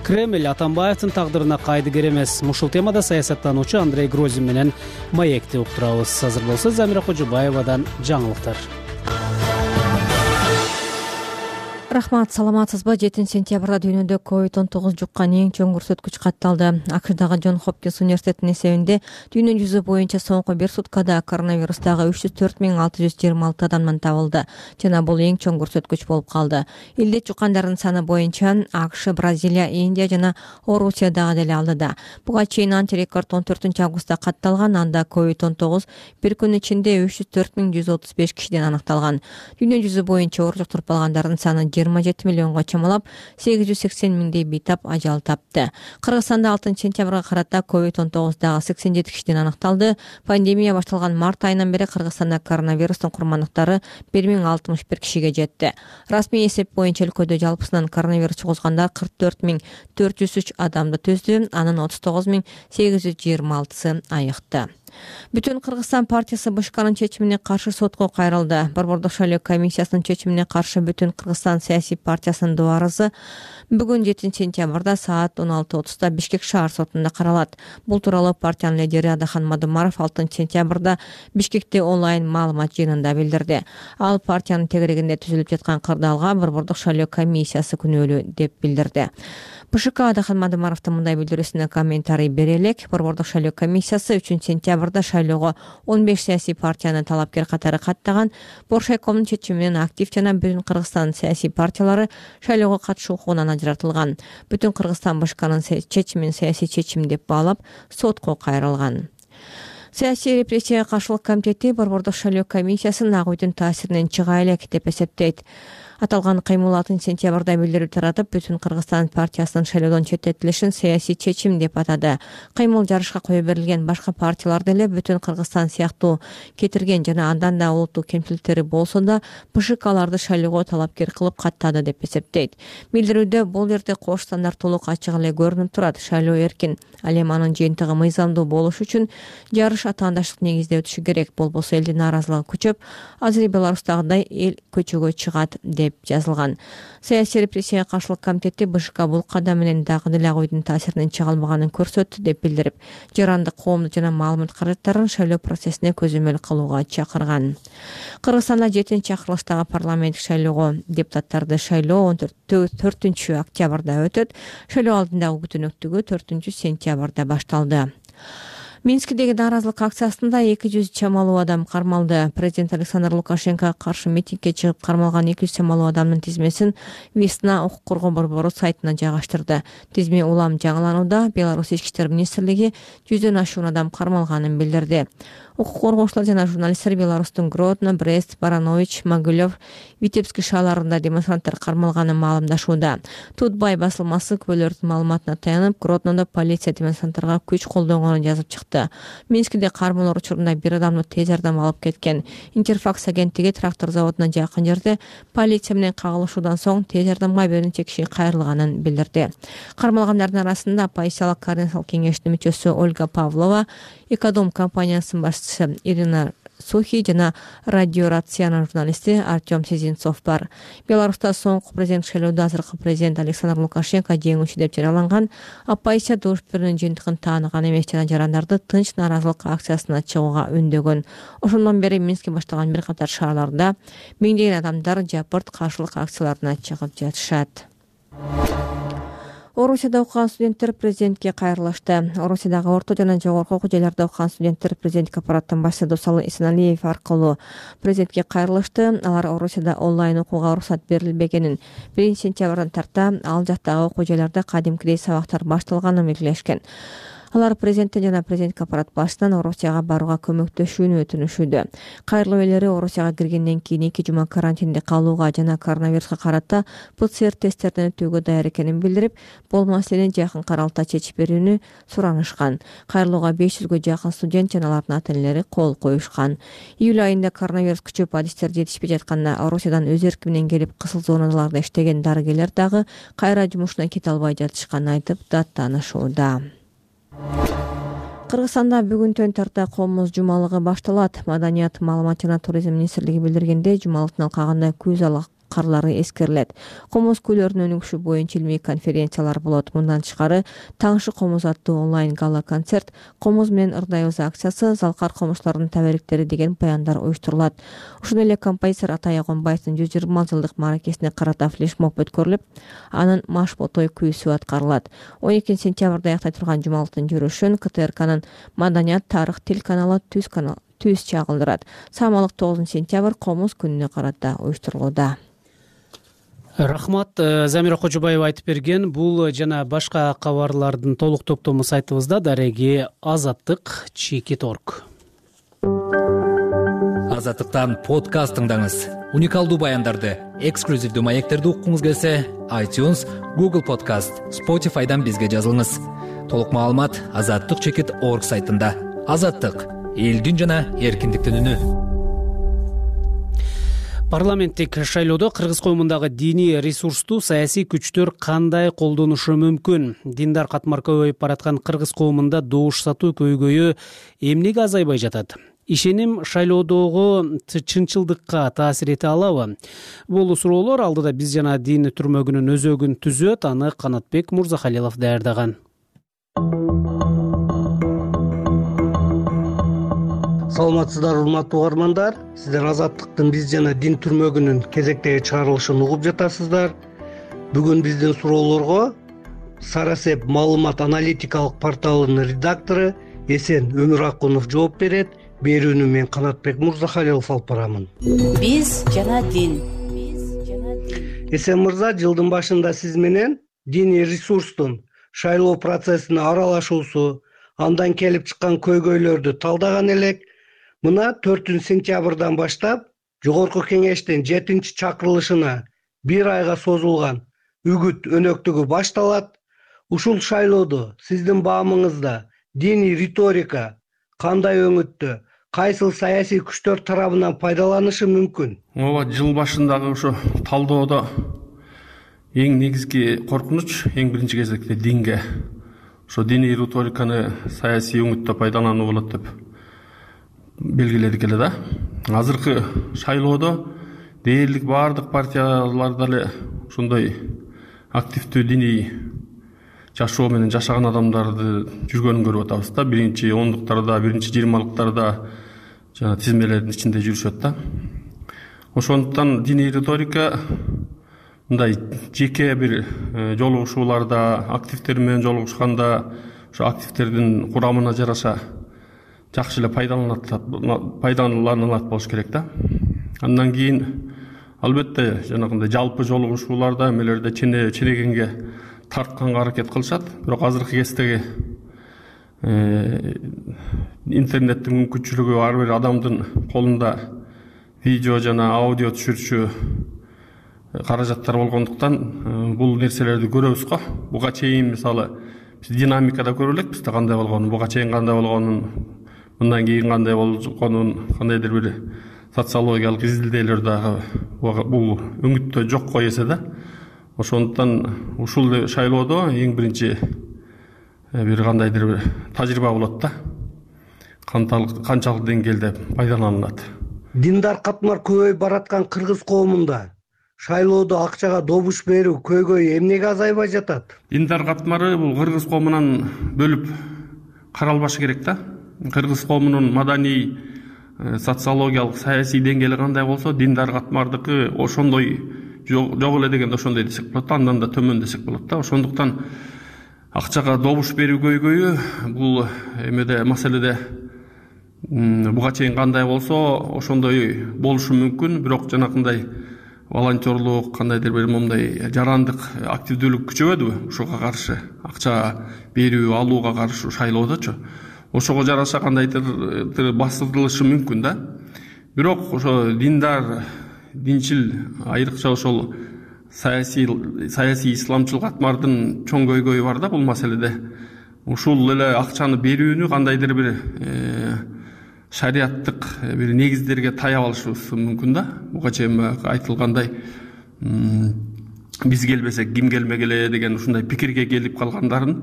Кремль Атамбаевдин тагдырына кайдыгер эмес. Ушул темада саясаттануучу Андрей Грозин менен маекти уктурабыз. Азыр болсо Замира Кожобаевадан жаңылыктар. Рахмат, саламатсызбы? жетинчи сентябрда дүйнөдө ковид он тогуз жуккан эң чоң көрсөткүч катталды. АКШдагы Джон Хопкинс университетинин эсебинде дүйнө жүзү боюнча соңку бир суткада коронавирустагы үч жүз төрт миң алты жүз жыйырма алты адамдан табылды жана бул эң чоң көрсөткүч болуп калды. Илдет жуккандардын саны боюнча АКШ, Бразилия, Индия жана Орусия дагы деле алдыда. Буга чейин антирекорд он төртүнчү августта катталган. Анда ковид он тогуз бир күн ичинде үч жүз төрт миң жүз отуз беш кишиден аныкталган. Дүйнө жүзү боюнча оор жуктуруп алгандардын саны жыйырма жети миллионго чамалап, сегиз жүз сексен миңдей бейтап ажал тапты. Кыргызстанда алтынчы сентябрга карата ковид он тогуздагы сексен жети кишиден аныкталды. Пандемия башталган март айынан бери Кыргызстанда коронавирустун курмандыктары бир миң алтымыш бир кишиге жетти. Расмий эсеп боюнча өлкөдө жалпысынан коронавирус жугузгандар кырк төрт миң төрт жүз үч адамды түздү. Анын отуз тогуз миң сегиз жүз жыйырма алтысы айыкты. Бүтүн Кыргызстан партиясы БШКнын чечимине каршы сотко кайрылды. Борбордук шайлоо комиссиясынын чечимине каршы Бүтүн Кыргызстан саясий партиясынын доо арызы бүгүн жетинчи сентябрда саат он алты отузда Бишкек шаар сотунда каралат. Бул тууралуу партиянын лидери Адахан Мадумаров алтынчы сентябрда Бишкекте онлайн маалымат жыйынында билдирди. Ал партиянын тегерегинде түзүлүп жаткан кырдаалга Борбордук шайлоо комиссиясы күнөөлүү деп билдирди. БШК Адахан Мадумаровдун мындай билдирүүсүнө комментарий бере элек. Борбордук шайлоо комиссиясы үчүнчү сентябрда шайлоого он беш саясий партияны талапкер катары каттаган. Боршайкомдун чечими менен актив жана Бүтүн Кыргызстан саясий партиялары шайлоого катышуу укугунан ажыратылган. Бүтүн Кыргызстан БШКнын чечимин саясий чечим деп баалап сотко кайрылган. Саясий репрессияга каршылык комитети Борбордук шайлоо комиссиясын ак үйдүн таасиринен чыга элек деп эсептейт. Аталган кыймыл алтынчы сентябрда билдирүү таратып, Бүтүн Кыргызстан партиясынын шайлоодон четтетилишин саясий чечим деп атады. Кыймыл жарышка кое берилген башка партиялар деле Бүтүн Кыргызстан сыяктуу кетирген жана андан да улуттук кемчиликтери болсо да БШКларды шайлоого талапкер кылып каттады деп эсептейт. Билдирүүдө бул жерде кош стандарттуулук ачык эле көрүнүп турат. Шайлоо эркин, ал эми анын жыйынтыгы мыйзамдуу болуш үчүн жарыш атаандаштык негизде өтүшү керек. Болбосо элдин нааразылыгы күчөп, азыр Беларустагыдай эл көчөгө чыгат деп жазылган. Саясий репрессияга каршылык комитети БШК бул кадам менен дагы деле ак үйдүн таасиринен чыга албаганын көрсөттү деп билдирип, жарандык коомдук жана маалымат каражаттарын шайлоо процессине көзөмөл кылууга чакырган. Кыргызстанда жетинчи акырылыштагы парламенттик шайлоого депутаттарды шайлоо он төртүнчү октябрда өтөт. Шайлоо алдындагы күтүнөктүгү төртүнчү сентябрда башталды. Минскидеги нааразылык акциясында эки жүз чамалуу адам кармалды. Президент Александр Лукашенкога каршы митингге чыгып кармалган эки жүз чамалуу адамдын тизмесин Весна укук коргоо борбору сайтына жайгаштырды. Тизме улам жаңыланууда. Беларусь ички иштер министрлиги жүздөн ашуун адам кармалганын билдирди. Укук коргоочулар жана журналисттер Беларустун Гродно, Брест, Баранович, Могилев, Витебск шаарларында демонстранттар кармалганын маалымдашууда. Тутбай басылмасы күбөлөрдүн маалыматына таянып, Гроднондо полиция демонстранттарга күч колдонгонун жазып чыкты. Минскиде кармалоо учурунда бир адамды тез жардам алып кеткен. Интерфакс агенттиги трактор заводуна жакын жерде полиция менен кагылышуудан соң тез жардамга бир нече киши кайрылганын билдирди. Кармалгандардын арасында оппозициялык координациялык кеңештин мүчөсү Ольга Павлова, Экодом компаниясынын башчысы Ирина Сухи жана Радио Рациянын журналисти Артем Сизинцов бар. Беларуста соңку президент шайлоодо азыркы президент Александр Лукашенко жеңүүчү деп жарыяланган. Оппозиция добуш берүүнүн жыйынтыгын тааныган эмес жана жарандарды тынч нааразылык акциясына чыгууга үндөгөн. Ошондон бери Минскке башталган бир катар шаарларда миңдеген адамдар жапырт каршылык акцияларына чыгып жатышат. Орусияда окуган студенттер президентке кайрылышты. Орусиядагы орто жана жогорку окуу жайларда окуган студенттер президенттик аппараттын башчысы Досалы Исеналиев аркылуу президентке кайрылышты. Алар Орусияда онлайн окууга уруксат берилбегенин, биринчи сентябрдан тарта ал жактагы окуу жайларда кадимкидей сабактар башталганын белгилешкен. Алар президенттен жана президенттик аппарат башчысынан Орусияга барууга көмөктөшүүнү өтүнүшүүдө. Кайрылуу ээлери Орусияга киргенден кийин эки жума карантинде калууга жана коронавируска карата ПЦР тесттерден өтүүгө даяр экенин билдирип, бул маселени жакын аралыкта чечип берүүнү суранышкан. Кайрылууга беш жүзгө жакын студент жана алардын ата-энелери кол коюшкан. Июль айында коронавирус күчөп, адистер жетишпей жатканда Орусиядан өз эрки менен келип кысыл зоналарда иштеген дарыгерлер дагы кайра жумушуна кете албай жатышканын айтып, даттанышууда. Кыргызстанда бүгүнтөн тарта комуз жумалыгы башталат. Маданият, маалымат жана туризм министрлиги билдиргендей, жумалыктын алкагында күз алак карлары эскерилет. Комуз күйлөрүнүн өнүгүшү боюнча илмий конференциялар болот. Мындан тышкары Таңшы комуз аттуу онлайн гала концерт, комуз менен ырдайбыз акциясы, залкар комузчулардын табериктери деген баяндар уюштурулат. Ошондой эле композитор Атай Агонбаевдин жүз жыйырма жылдык мааракесине карата флешмоб өткөрүлүп, анын Машботой күйүүсү аткарылат. он экинчи сентябрда аяктай турган жумалыктын жүрүшүн КТРКнын Маданият, тарых, тил каналы Түз канал Түз чагылдырат. Самалык тогузунчу сентябрь комуз күнүнө карата уюштурулууда. Рахмат, Замира Кожобаева айтып берген. Бул жана башка кабарлардын толук топтому сайтыбызда дареги азаттык чекит точка орг. Азаттыктан подкаст тыңдаңыз. Уникалдуу баяндарды, эксклюзивдүү маектерди уккуңуз келсе, iTunes, Google Podcast, Spotify'дан бизге жазылыңыз. Толук маалымат азаттык чекит точка орг сайтында. Азаттык — элдин жана эркиндиктин үнү. Парламенттик шайлоодо Кыргыз коомундагы диний ресурсту саясий күчтөр кандай колдонушу мүмкүн? Диндар катмар көбөйүп бараткан Кыргыз коомунда добуш сатуу көйгөйү эмнеге азайбай жатат? Ишеним шайлоодогу чынчылдыкка таасир эте алабы? Бул суроолор алдыда биз жана дин түрмөгүнүн өзөгүн түзөт. Аны Канатбек Мурзахалилов даярдаган. Саламатсыздар, урматтуу угармандар. Сиздер Азаттыктын биз жана дин түрмөгүнүн кезектеги чыгарылышын угуп жатасыздар. Бүгүн биздин суроолорго Сарасеп маалымат аналитикалык порталынын редактору Эсен Өмүракунов жооп берет. Берүүнү мен Канатбек Мурзахалилов алып барамын. Биз жана дин. Эсен мырза, жылдын башында сиз менен диний ресурстун шайлоо процессине аралашуусу, андан келип чыккан көйгөйлөрдү талдаган элек. Мына төртүнчү сентябрдан баштап Жогорку кеңештин жетинчи чакырылышына бир айга созулган үгүт өнөктүгү башталат. Ушул шайлоодо сиздин баамыңызда диний риторика кандай өңүттө, кайсыл саясий күчтөр тарабынан пайдаланышы мүмкүн? Ооба, жыл башындагы ошо талдоодо эң негизги коркунуч эң биринчи кезекте динге, ошо диний риториканы саясий өңүттө пайдалануу болот деп белгиледик эле да. Азыркы шайлоодо дээрлик баардык партияларда эле ушундай активдүү диний жашоо менен жашаган адамдарды жүргөнүн көрүп атабыз да. Биринчи ондуктарда, биринчи жыйырмалыктарда жана тизмелердин ичинде жүрүшөт да. Ошондуктан диний риторика мындай жеке бир жолугушууларда, активдер менен жолугушканда ошо активдердин курамына жараша жакшы эле пайдаланылат пайдаланылат болуш керек да. Андан кийин албетте жанагындай жалпы жолугушууларда эмелерде ченегенге тартканга аракет кылышат. Бирок азыркы кездеги интернеттин мүмкүнчүлүгү ар бир адамдын колунда видео жана аудио түшүрчү каражаттар болгондуктан бул нерселерди көрөбүз го. Буга чейин мисалы биз динамикада көрө элекпиз кандай болгонун, буга чейин кандай болгонун, мындан кийин кандай болгонун, кандайдыр бир социологиялык изилдөөлөр дагы бул өңүттө жок го эсе да. Ошондуктан ушул шайлоодо эң биринчи бир кандайдыр бир тажрыйба болот да. Канчалык деңгээлде пайдаланылат. Диндар катмар көбөйүп бараткан кыргыз коомунда шайлоодо акчага добуш берүү көйгөй эмнеге азайбай жатат? Диндар катмары бул кыргыз коомунан бөлүп каралбашы керек да. Кыргыз коомунун маданий, социологиялык, саясий деңгээли кандай болсо, диндар катмардыкы ошондой жок эле дегенде ошондой десек болот да, андан да төмөн десек болот да. Ошондуктан акчага добуш берүү көйгөйү бул эмеде маселеде буга чейин кандай болсо ошондой болушу мүмкүн, бирок жанакындай волонтерлук, кандайдыр бир момундай жарандык активдүүлүк күчөбөдүбү ушуга каршы, акча берүү алууга каршы шайлоодочу. Ошого жараша кандайдыр басылышы мүмкүн да. Бирок ошо диндар, динчил, айрыкча ошол саясий саясий исламчыл катмардын чоң көйгөйү бар да бул маселеде. Ушул эле акчаны берүүнү кандайдыр бир шариаттык бир негиздерге таяп алышыбыз мүмкүн да. Буга чейин айтылгандай биз келбесек ким келмек эле деген ушундай пикирге келип калгандарын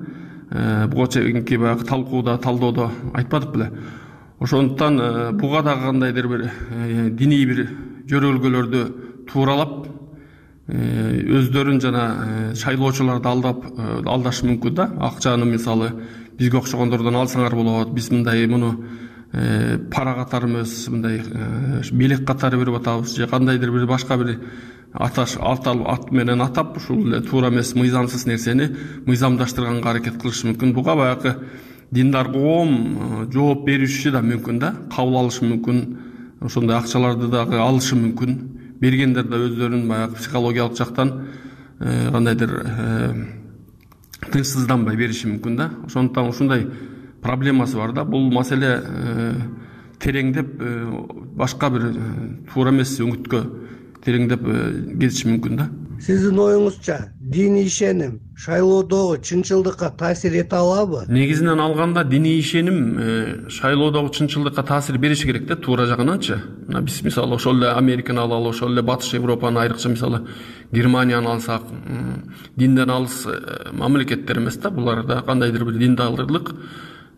буга чейинки баягы талкууда, талдоодо айтпадык беле. Ошондуктан буга дагы кандайдыр бир диний бир жөрөлгөлөрдү тууралап өздөрүн жана шайлоочуларды алдап алдашы мүмкүн да. Акчаны мисалы бизге окшогондордон алсаңар болот, биз мындай муну пара катары эмес, мындай белек катары берип атабыз же кандайдыр бир башка бир аташ ат менен атап ушул эле туура эмес мыйзамсыз нерсени мыйзамдаштырганга аракет кылышы мүмкүн. Буга баягы диндар коом жооп бериши да мүмкүн да, кабыл алышы мүмкүн, ошондой акчаларды дагы алышы мүмкүн. Бергендер да өздөрүн баягы психологиялык жактан кандайдыр тынчсызданбай бериши мүмкүн да. Ошондуктан ушундай проблемасы бар да. Бул маселе тереңдеп башка бир туура эмес өңүткө тереңдеп кетиши мүмкүн да. Сиздин оюңузча диний ишеним шайлоодогу чынчылдыкка таасир эте алабы? Негизинен алганда диний ишеним шайлоодогу чынчылдыкка таасир бериши керек да, туура жагынанчы. Биз мисалы ошол эле Американы алалы, ошол эле Батыш Европаны, айрыкча мисалы Германияны алсак, динден алыс мамлекеттер эмес да, булар да кандайдыр бир диндарлык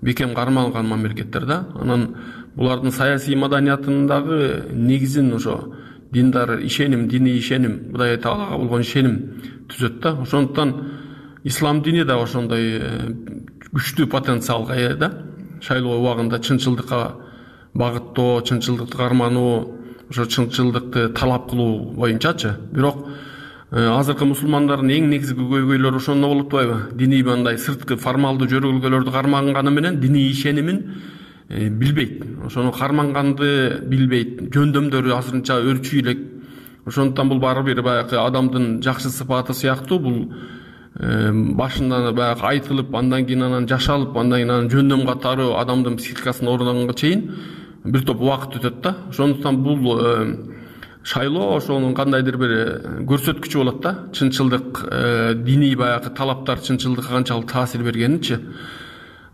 бекем кармалган мамлекеттер да. Анан булардын саясий маданиятындагы негизин ошо диндар ишеним, диний ишеним, Кудай Таалага болгон ишеним түзөт да. Ошондуктан ислам дини да ошондой күчтүү потенциалга ээ да. Шайлоо убагында чынчылдыкка багыттоо, чынчылдыкты кармануу, ошо чынчылдыкты талап кылуу боюнчачы. Бирок азыркы мусулмандардын эң негизги көйгөйлөрү ошондо болуп атпайбы? Диний мындай сырткы формалдуу жөрөлгөлөрдү карманганы менен диний ишенимин билбейт. Ошону карманганды билбейт. Жөндөмдөрү азырынча өрчүй элек. Ошондуктан бул баары бир баягы адамдын жакшы сыпаты сыяктуу, бул башында баягы айтылып, андан кийин анан жашалып, андан кийин анан жөндөм катары адамдын психикасына орногонго чейин бир топ убакыт өтөт да. Ошондуктан бул шайлоо ошонун кандайдыр бир көрсөткүчү болот да. Чынчылдык, диний баягы талаптар чынчылдыкка канчалык таасир бергенинчи.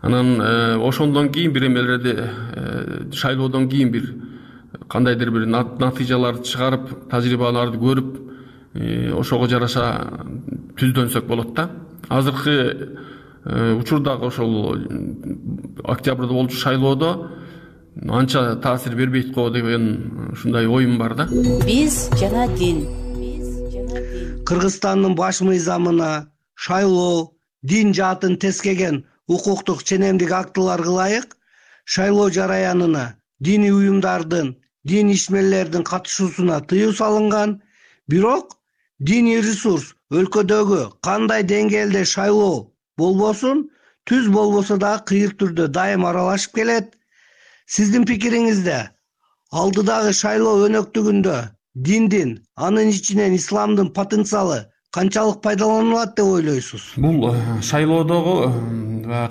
Анан ошондон кийин бир эмелерди шайлоодон кийин бир кандайдыр бир натыйжаларды чыгарып, тажрыйбаларды көрүп, ошого жараша түздөнсөк болот да. Азыркы учурдагы ошол октябрда болчу шайлоодо анча таасир бербейт го деген ушундай оюм бар да. Биз жана дин. Кыргызстандын баш мыйзамына шайлоо дин жаатын тескеген укуктук ченемдик актыларга ылайык шайлоо жараянына диний уюмдардын, дин ишмерлердин катышуусуна тыюу салынган. Бирок диний ресурс өлкөдөгү кандай деңгээлде шайлоо болбосун, түз болбосо дагы кыйыр түрдө дайым аралашып келет. Сиздин пикириңизде алдыдагы шайлоо өнөктүгүндө диндин, анын ичинен исламдын потенциалы канчалык пайдаланылат деп ойлойсуз? Бул шайлоодогу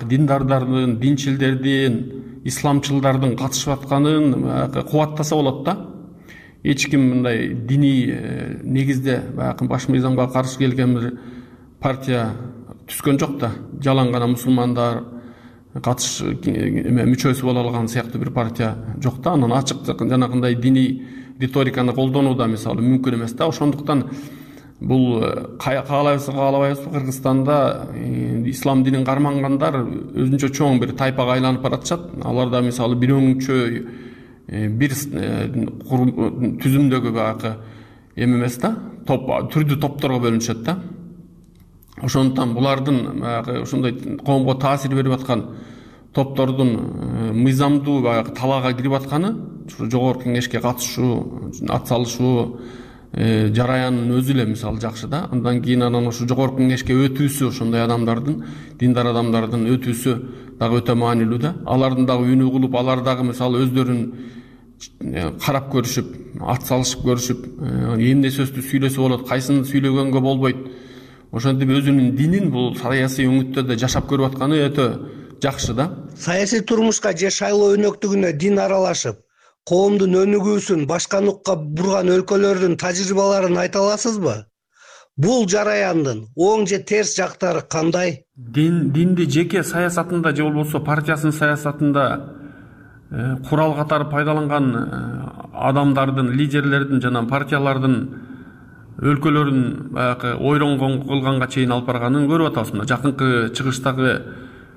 диндардардын, динчилдердин, исламчылдардын катышып атканын баягы кубаттаса болот да. Эч ким мындай диний негизде баягы баш мыйзамга каршы келген бир партия түскөн жок да. Жалаң гана мусулмандар катыш мүчөсү боло алган сыяктуу бир партия жок да. Анан ачык жанагындай диний риториканы колдонуу да мисалы мүмкүн эмес да. Ошондуктан бул каалайбызбы каалабайбызбы Кыргызстанда ислам динин кармангандар өзүнчө чоң бир тайпага айланып баратышат. Алар да мисалы бир өңчө бир түзүмдөгү баягы эме эмес да, топ түрдүү топторго бөлүнүшөт да. Ошондуктан булардын баягы ушундай коомго таасир берип аткан топтордун мыйзамдуу баягы талаага кирип атканы, жогорку кеңешке катышуу, ат салышуу жараянын өзү эле мисалы жакшы да. Андан кийин анан ошо жогорку кеңешке өтүүсү, ошондой адамдардын, диндар адамдардын өтүүсү дагы өтө маанилүү да. Алардын дагы үнү угулуп, алар дагы мисалы өздөрүн карап көрүшүп, ат салышып көрүшүп, эмне сөздү сүйлөсө болот, кайсыны сүйлөгөнгө болбойт. Ошентип өзүнүн динин бул саясий өңүттөрдө жашап көрүп атканы өтө жакшы да. Саясий турмушка же шайлоо өнөктүгүнө дин аралашып, коомдун өнүгүүсүн башка нукка бурган өлкөлөрдүн тажрыйбаларын айта аласызбы? Бул жараяндын оң же терс жактары кандай? Дин динди жеке саясатында же болбосо партиясынын саясатында курал катары пайдаланган адамдардын, лидерлердин жана партиялардын өлкөлөрүн баягы ойронгон кылганга чейин алып барганын көрүп атабыз. Мына жакынкы чыгыштагы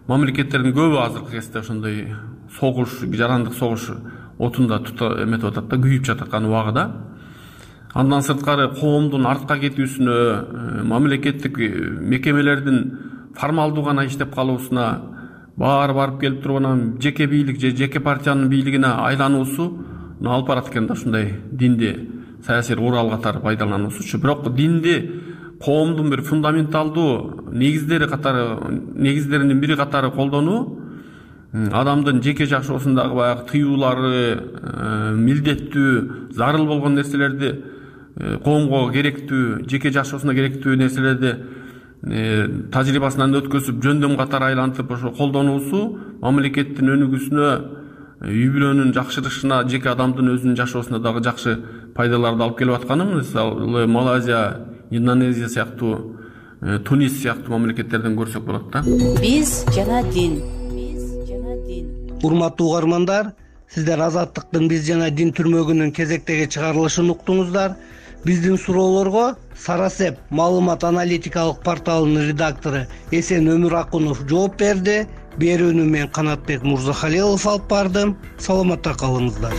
мамлекеттердин көбү азыркы кезде ошондой согуш, жарандык согуш отунда эметип атат да, күйүп жататкан убагыда. Андан сырткары коомдун артка кетүүсүнө, мамлекеттик мекемелердин формалдуу гана иштеп калуусуна, баары барып келип туруп анан жеке бийлик же жеке партиянын бийлигине айлануусу алып барат экен да, ушундай динди саясий курал катары пайдалануусучу. Бирок динди коомдун бир фундаменталдуу негиздери катары, негиздеринин бири катары колдонуу, адамдын жеке жашоосундагы баягы тыюулары, милдеттүү, зарыл болгон нерселерди, коомго керектүү, жеке жашоосуна керектүү нерселерди тажрыйбасынан өткөзүп, жөндөм катары айлантып ошо колдонуусу мамлекеттин өнүгүүсүнө, үй бүлөнүн жакшырышына, жеке адамдын өзүнүн жашоосуна дагы жакшы пайдаларды алып келип атканын мисалы Малайзия, Индонезия сыяктуу, Тунис сыяктуу мамлекеттерден көрсөк болот да. Биз жана дин. Урматтуу угармандар, сиздер Азаттыктын Биз жана дин түрмөгүнүн кезектеги чыгарылышын уктуңуздар. Биздин суроолорго Сарасеп маалымат аналитикалык порталынын редактору Эсен Өмүракунов жооп берди. Берүүнү мен Канатбек Мурзахалилов алып бардым. Саламатта калыңыздар.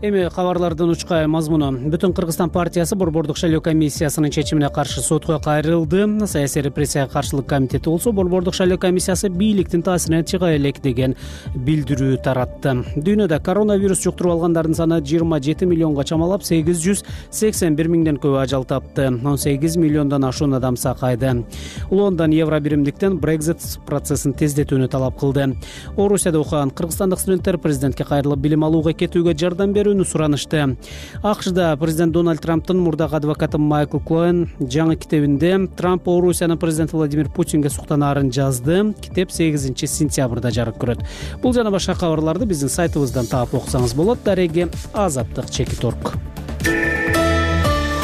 Эми кабарлардын учкай мазмуну. Бүтүн Кыргызстан партиясы Борбордук шайлоо комиссиясынын чечимине каршы сотко кайрылды. Саясий репрессияга каршылык комитети болсо Борбордук шайлоо комиссиясы бийликтин таасиринен чыга элек деген билдирүү таратты. Дүйнөдө коронавирус жуктуруп алгандардын саны жыйырма жети миллионго чамалап, сегиз жүз сексен бир миңден көп ажал тапты. он сегиз миллиондон ашуун адам сакайды. Лондон евро биримдиктен Brexit процессин тездетүүнү талап кылды. Орусияда окуган кыргызстандык студенттер президентке кайрылып билим алууга кетүүгө жардам берүүнү суранышты. АКШда президент Дональд Трамптын мурдагы адвокаты Майкл Коэн жаңы китебинде Трамп Орусиянын президенти Владимир Путинге суктанаарын жазды. Китеп сегизинчи сентябрда жарык көрөт. Бул жана башка кабарларды биздин сайтыбыздан таап окусаңыз болот. Дареги Азаттык чекит орг.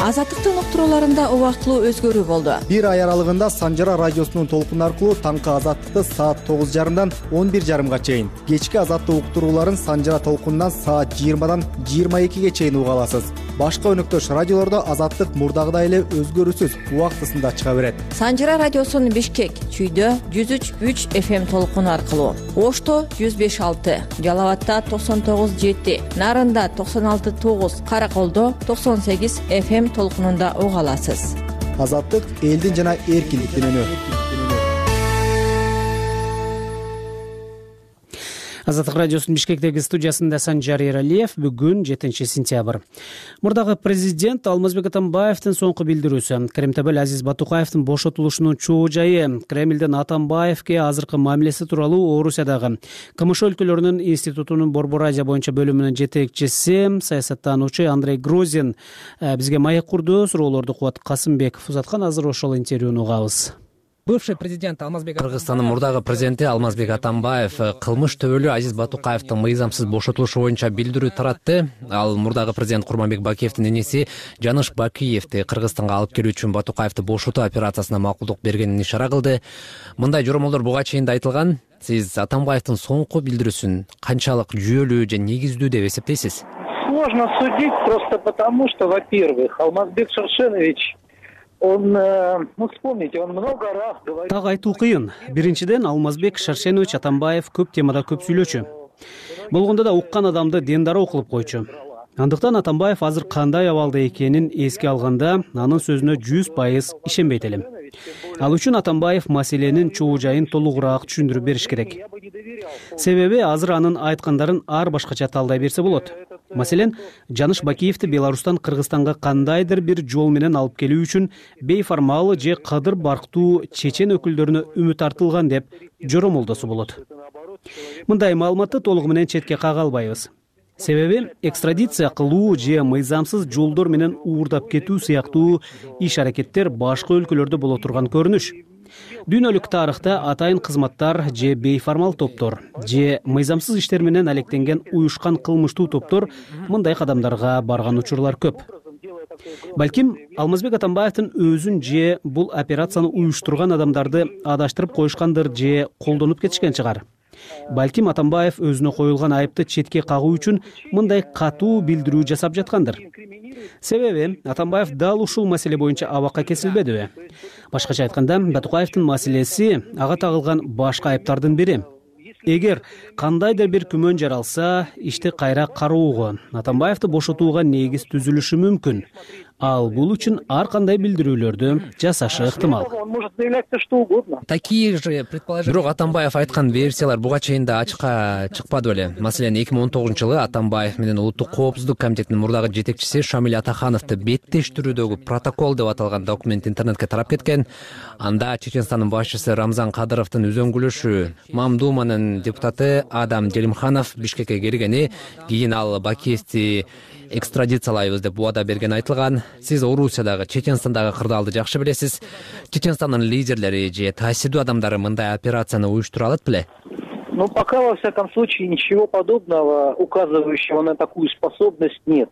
Азаттыктын уктурууларында убактылуу өзгөрүү болду. Бир ай аралыгында Санжара радиосунун толкуну аркылуу таңкы Азаттыкты саат тогуз жарымдан он бир жарымга чейин, кечки Азаттык уктурууларын Санжара толкунунан саат жыйырмадан жыйырма экиге чейин уга аласыз. Башка өнөктөш радиолордо Азаттык мурдагыдай эле өзгөрүүсүз убактысында чыга берет. Санжара радиосунун Бишкек, Чүйдө жүз үч үч эф эм толкуну аркылуу, Ошто жүз беш алты, Жалал-Абадта токсон тогуз жети, Нарында токсон алты тогуз, Караколдо токсон сегиз эф эм толкунунда уга аласыз. Азаттык элдин жана эркиндиктин үнү. Азаттык радиосунун Бишкектеги студиясында Санжар Эралиев. Бүгүн жетинчи сентябрь. Мурдагы президент Алмазбек Атамбаевдин соңку билдирүүсү, Кремтебел Азиз Батукаевдин бошотулушунун чоо жайы, Кремлден Атамбаевге азыркы мамилеси тууралуу Орусиядагы КМШ өлкөлөрүнүн институтунун Борбор Азия боюнча бөлүмүнүн жетекчиси, саясаттануучу Андрей Грозин бизге маек курду. Суроолорду Кубат Касымбеков узаткан. Азыр ошол интервьюну угабыз. Бывший президент Алмазбек Кыргызстандын мурдагы президенти Алмазбек Атамбаев кылмыш төбөлүү Азиз Батукаевдин мыйзамсыз бошотулушу боюнча билдирүү таратты. Ал мурдагы президент Курманбек Бакиевдин иниси Жаныш Бакиевди Кыргызстанга алып келүү үчүн Батукаевди бошотуу операциясына макулдук бергенин ишара кылды. Мындай жоромолдор буга чейин да айтылган. Сиз Атамбаевдин соңку билдирүүсүн канчалык жүйөлүү же негиздүү деп эсептейсиз? Сложно судить просто потому, что, во-первых, Алмазбек Шаршенович, он, ну, вспомните, он много раз говорил... Так айтуу кыйын. Биринчиден, Алмазбек Шаршенович Атамбаев көп темада көп сүйлөчү. Болгондо да уккан адамды дендароо кылып койчу. Андыктан Атамбаев азыр кандай абалда экенин эске алганда, анын сөзүнө жүз пайыз ишенбейт элем. Ал үчүн Атамбаев маселенин чоо жайын толугураак түшүндүрүп бериш керек. Себеби азыр анын айткандарын ар башкача талдай берсе болот. Маселен, Жаныш Бакиевди Беларустан Кыргызстанга кандайдыр бир жол менен алып келүү үчүн бейформал же кадыр барктуу чечен өкүлдөрүнө үмүт артылган деп жоромолдосо болот. Мындай маалыматты толугу менен четке кага албайбыз. Себеби экстрадиция кылуу же мыйзамсыз жолдор менен уурдап кетүү сыяктуу иш-аракеттер башка өлкөлөрдө боло турган көрүнүш. Дүйнөлүк тарыхта атайын кызматтар же бейформал топтор же мыйзамсыз иштер менен алектенген уюшкан кылмыштуу топтор мындай кадамдарга барган учурлар көп. Балким Алмазбек Атамбаевдин өзүн же бул операцияны уюштурган адамдарды адаштырып коюшкандыр же колдонуп кетишкен чыгар. Балким Атамбаев өзүнө коюлган айыпты четке кагуу үчүн мындай катуу билдирүү жасап жаткандыр. Себеби Атамбаев дал ушул маселе боюнча абакка кесилбедиби? Башкача айтканда, Батукаевдин маселеси ага тагылган башка айыптардын бири. Эгер кандайдыр бир күмөн жаралса, ишти кайра кароого, Атамбаевди бошотууга негиз түзүлүшү мүмкүн. Ал бул үчүн ар кандай билдирүүлөрдү жасашы ыктымал. Он может заявлять все что угодно. Такие же предположения. Бирок Атамбаев айткан версиялар буга чейин да ачыкка чыкпады беле. Маселен, эки миң он тогузунчу жылы Атамбаев менен Улуттук коопсуздук комитетинин мурдагы жетекчиси Шамиль Атахановду беттештирүүдөгү протокол деп аталган документ интернетке тарап кеткен. Анда Чеченстандын башчысы Рамзан Кадыровдун үзөңгүлүшү, Мамдуманын депутаты Адам Делимханов Бишкекке келгени, кийин ал Бакиевди экстрадициялайбыз деп убада берген айтылган. Сиз Орусиядагы, Чеченстандагы кырдаалды жакшы билесиз. Чеченстандын лидерлери же таасирдүү адамдары мындай операцияны уюштура алат беле? Ну, пока, во всяком случае, ничего подобного, указывающего на такую способность, нет.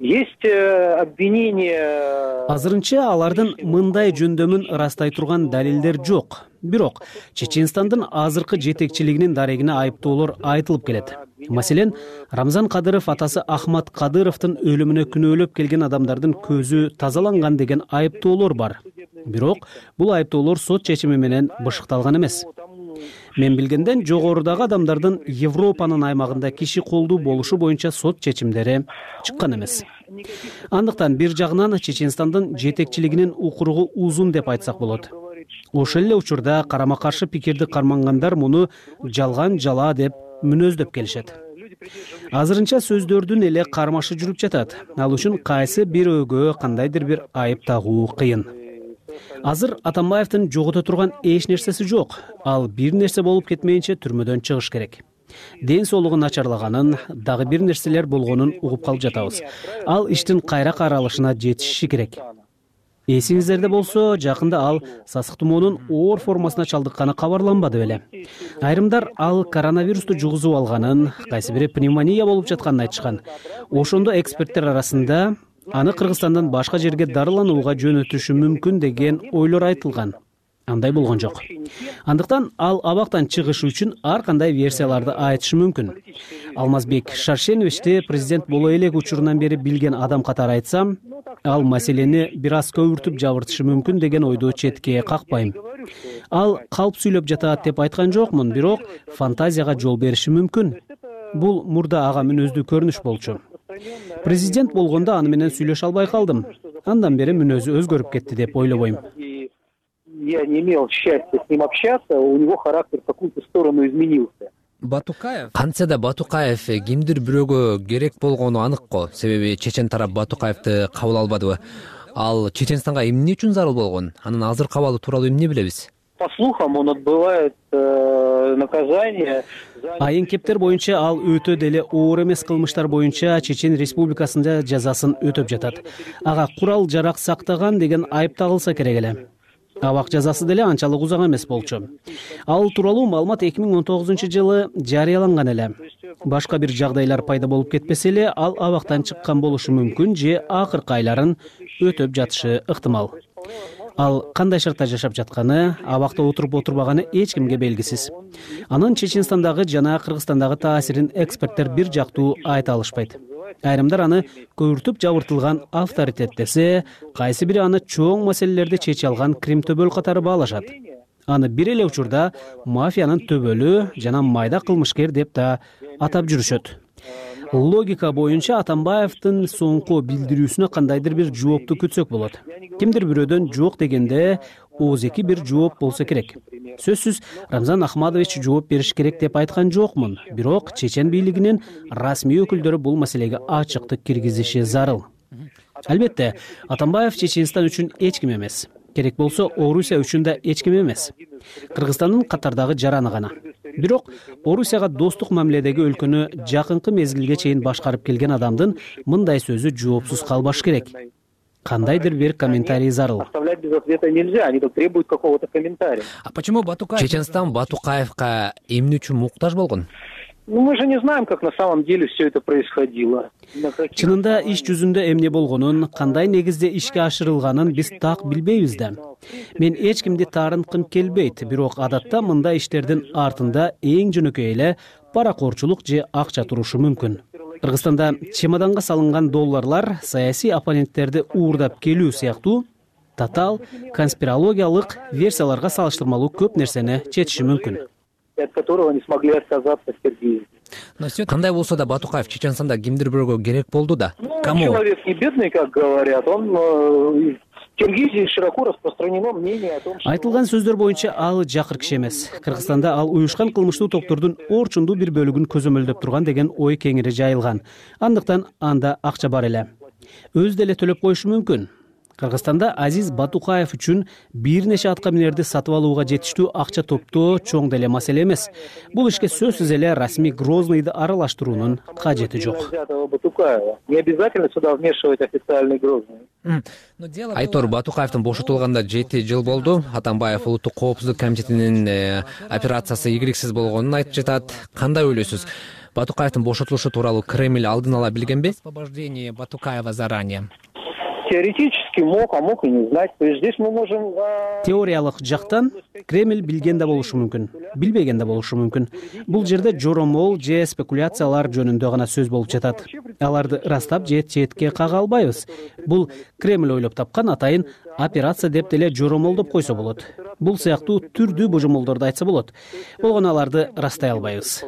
Есть обвинения... Азырынча алардын мындай жөндөмүн ырастай турган далилдер жок. Бирок Чеченстандын азыркы жетекчилигинин дарегине айыптоолор айтылып келет. Маселен, Рамзан Кадыров атасы Ахмат Кадыровдун өлүмүнө күнөөлөп келген адамдардын көзү тазаланган деген айыптоолор бар. Бирок бул айыптоолор сот чечими менен бышыкталган эмес. Мен билгенден жогорудагы адамдардын Европанын аймагында киши колдуу болушу боюнча сот чечимдери чыккан эмес. Андыктан бир жагынан Чеченстандын жетекчилигинин укуругу узун деп айтсак болот. Ошол эле учурда карама каршы пикирди кармангандар муну жалган жала деп мүнөздөп келишет. Азырынча сөздөрдүн эле кармашы жүрүп жатат. Ал үчүн кайсы бирөөгө кандайдыр бир айып тагуу кыйын. Азыр Атамбаевдин жогото турган эч нерсеси жок. Ал бир нерсе болуп кетмейинче түрмөдөн чыгыш керек. Ден соолугу начарлаганын, дагы бир нерселер болгонун угуп калып жатабыз. Ал иштин кайра каралышына жетиши керек. Эсиңиздерде болсо, жакында ал сасык тумоонун оор формасына чалдыкканы кабарланбады беле. Айрымдар ал коронавирусту жугузуп алганын, кайсы бири пневмония болуп жатканын айтышкан. Ошондо эксперттер арасында аны Кыргызстандан башка жерге дарыланууга жөнөтүшү мүмкүн деген ойлор айтылган. Андай болгон жок. Андыктан ал абактан чыгышы үчүн ар кандай версияларды айтышы мүмкүн. Алмазбек Шаршеновичти президент боло элек учурунан бери билген адам катары айтсам, ал маселени бир аз көбүртүп жабыртышы мүмкүн деген ойду четке какпайм. Ал калп сүйлөп жатат деп айткан жокмун, бирок фантазияга жол бериши мүмкүн. Бул мурда ага мүнөздүү көрүнүш болчу. Президент болгондо аны менен сүйлөшө албай калдым. Андан бери мүнөзү өзгөрүп кетти деп ойлобойм. Я не имел счастья с ним общаться, у него характер в какую-то сторону изменился. Батукаев кантсе да Батукаев кимдир бирөөгө керек болгону анык го. Себеби чечен тарап Батукаевди кабыл албадыбы. Ал Чеченстанга эмне үчүн зарыл болгон? Анын азыркы абалы тууралуу эмне билебиз? По слухам, он отбывает э, наказание. Айын кептер боюнча ал өтө деле оор эмес кылмыштар боюнча Чечен Республикасында жазасын өтөп жатат. Ага курал жарак сактаган деген айып тагылса керек эле. Абак жазасы деле анчалык узак эмес болчу. Ал тууралуу маалымат эки миң он тогузунчу жылы жарыяланган эле. Башка бир жагдайлар пайда болуп кетпесе эле, ал абактан чыккан болушу мүмкүн же акыркы айларын өтөп жатышы ыктымал. Ал кандай шартта жашап жатканы, абакта отуруп отурбаганы эч кимге белгисиз. Анын Чеченстандагы жана Кыргызстандагы таасирин эксперттер бир жактуу айта алышпайт. Айрымдар аны көбүртүп жабыртылган авторитет десе, кайсы бири аны чоң маселелерди чече алган Крим төбөл катары баалашат. Аны бир эле учурда мафиянын төбөлү жана майда кылмышкер деп да атап жүрүшөт. Логика боюнча Атамбаевдин соңку билдирүүсүнө кандайдыр бир жоопту күтсөк болот. Кимдир бирөөдөн жок дегенде ооз-эки бир жооп болсо керек. Сөзсүз Рамзан Ахмадович жооп бериш керек деп айткан жокмун. Бирок чечен бийлигинин расмий өкүлдөрү бул маселеге ачыктык киргизиши зарыл. Албетте, Атамбаев Чеченстан үчүн эч ким эмес. Керек болсо Орусия үчүн да эч ким эмес. Кыргызстандын катардагы жараны гана. Бирок Орусияга достук мамиледеги өлкөнү жакынкы мезгилге чейин башкарып келген адамдын мындай сөзү жоопсуз калбаш керек. Кандайдыр бир комментарий зарыл. Оставлять без ответа нельзя, они тут требуют какого-то комментария. А почему Батукаев? Чеченстан Батукаевга эмне үчүн муктаж болгон? Ну, мы же не знаем, как на самом деле все это происходило. Чынында иш жүзүндө эмне болгонун, кандай негизде ишке ашырылганын биз так билбейбиз да. Мен эч кимди таарынткым келбейт, бирок адатта мындай иштердин артында эң жөнөкөй эле паракорчулук же акча турушу мүмкүн. Кыргызстанда чемоданга салынган долларлар саясий оппоненттерди уурдап келүү сыяктуу татаал конспирологиялык версияларга салыштырмалуу көп нерсени чечиши мүмкүн. От которого не смогли отказаться в Киргизии. Кандай болсо да Батукаев Чеченстанда кимдир бирөөгө керек болду да. Кому? Человек не бедный, как говорят. Он в Киргизии широко распространено мнение о том, что... Айтылган сөздөр боюнча ал жакыр киши эмес. Кыргызстанда ал уюшкан кылмыштуу топтордун орчундуу бир бөлүгүн көзөмөлдөп турган деген ой кеңири жайылган. Андыктан анда акча бар эле. Өз деле төлөп коюшу мүмкүн. Кыргызстанда Азиз Батукаев үчүн бир нече атка минерди сатып алууга жетиштүү акча топтоо чоң деле маселе эмес. Бул ишке сөзсүз эле расмий Грозныйды аралаштыруунун кажети жок. Не обязательно сюда вмешивать официальный Грозный. Айтор Батукаевдин бошотулганда жети жыл болду. Атамбаев улуттук коопсуздук комитетинин операциясы ийгиликсиз болгонун айтып жатат. Кандай ойлойсуз? Батукаевдин бошотулушу тууралуу Кремль алдын ала билгенби? Освобождение Батукаева заранее. Теоретически мог, а мог и не знать. То есть здесь мы можем... Теориялык жактан Кремль билген да болушу мүмкүн, билбеген да болушу мүмкүн. Бул жерде жоромол же спекуляциялар жөнүндө гана сөз болуп жатат. Аларды ырастап же четке кага албайбыз. Бул Кремль ойлоп тапкан атайын операция деп деле жоромолдоп койсо болот. Бул сыяктуу түрдүү божомолдорду айтса болот. Болгону аларды ырастай албайбыз.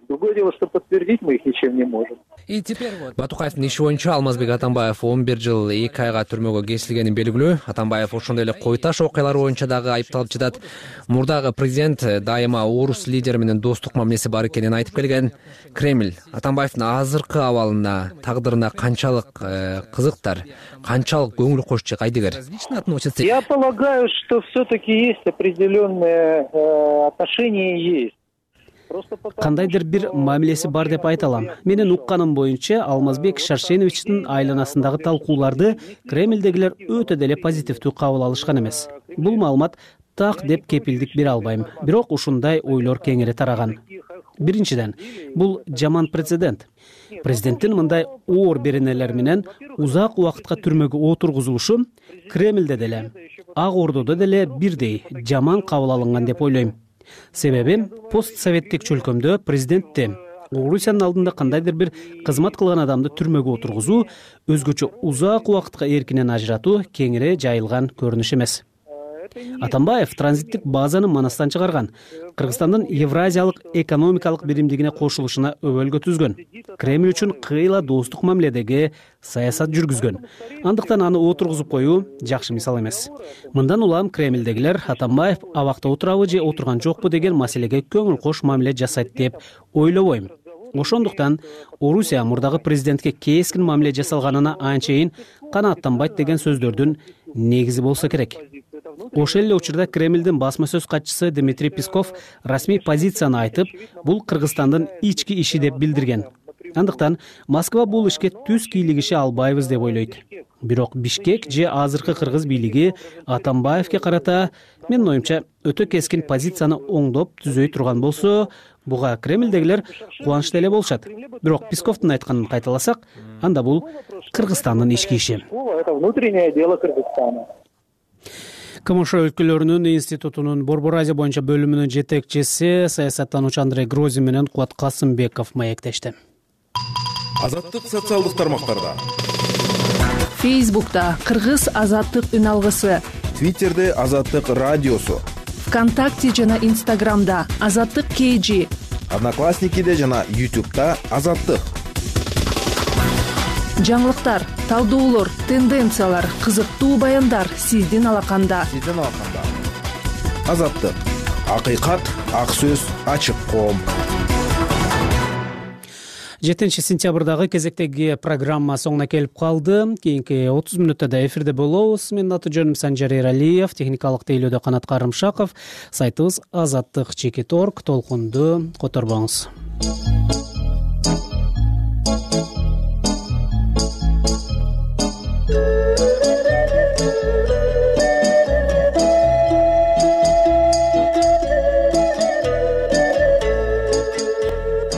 Другое дело, что подтвердить мы их ничем не можем. И теперь вот Батукаевдин иши боюнча Алмазбек Атамбаев он бир жыл эки айга түрмөгө кесилгени белгилүү. Атамбаев ошондой эле кой таш окуялары боюнча дагы айыпталып жатат. Мурдагы президент дайыма орус лидери менен достук мамилеси бар экенин айтып келген. Кремль Атамбаевдин азыркы абалына, тагдырына канчалык кызыктар, канчалык көңүл кош кайдыгер? Я полагаю, что все-таки есть определенные отношения есть. Кандайдыр бир мамилеси бар деп айта алам. Менин укканым боюнча Алмазбек Шаршеновичтин айланасындагы талкууларды Кремлдегилер өтө деле позитивдүү кабыл алышкан эмес. Бул маалымат так деп кепилдик бере албайм. Бирок ушундай ойлор кеңири тараган. Биринчиден, бул жаман прецедент. Президенттин мындай оор беренелер менен узак убакытка түрмөгө отургузулушу Кремлде деле, Ак Ордодо деле бирдей жаман кабыл алынган деп ойлойм. Себеби постсоветтик чөлкөмдө президентти Орусиянын алдында кандайдыр бир кызмат кылган адамды түрмөгө отургузуу өзгөчө узак убакытка эркинен ажыратуу кеңири жайылган көрүнүш эмес. Атамбаев транзиттик базаны Манастан чыгарган, Кыргызстандын Евразиялык экономикалык биримдигине кошулушуна өбөлгө түзгөн, Кремль үчүн кыйла достук мамиледеги саясат жүргүзгөн. Андыктан аны отургузуп коюу жакшы мисал эмес. Мындан улам Кремлдегилер Атамбаев абакта отурабы же отурган жокпу деген маселеге көңүл кош мамиле жасайт деп ойлобойм. Ошондуктан Орусия мурдагы президентке кескин мамиле жасалганына анчейин канааттанбайт деген сөздөрдүн негизи болсо керек. Ошол эле учурда Кремлдин басма сөз катчысы Дмитрий Песков расмий позицияны айтып, бул Кыргызстандын ички иши деп билдирген. Андыктан Москва бул ишке түз кийлигише албайбыз деп ойлойт. Бирок Бишкек же азыркы кыргыз бийлиги Атамбаевке карата менин оюмча өтө кескин позицияны оңдоп түзөй турган болсо, буга Кремлдегилер кубанычта эле болушат. Бирок Песковдун айтканын кайталасак, анда бул Кыргызстандын ички иши. Это внутреннее дело Кыргызстана. КМШ өлкөлөрүнүн институтунун Борбор Азия боюнча бөлүмүнүн жетекчиси саясаттануучу Андрей Грозин менен Кубат Касымбеков маектешти. Азаттык социалдык тармактарда. Фейсбукта Кыргыз азаттык үн алгысы, Твиттерде Азаттык радиосу, ВКонтакте жана Инстаграмда Азаттык КЖ, Одноклассникиде жана Ютубта Азаттык. Жаңылыктар, талдоолор, тенденциялар, кызыктуу баяндар сиздин алаканда. Сиздин алаканда. Азаттык. Акыйкат, ак сөз, ачык коом. жетинчи сентябрдагы кезектеги программа соңуна келип калды. Кийинки отуз мүнөттө да эфирде болобуз. Менин аты жөнүм Санжар Эралиев, техникалык тейлөөдө Канат Карымшаков. Сайтыбыз азаттык чекит точка орг. Толкунду которбоңуз.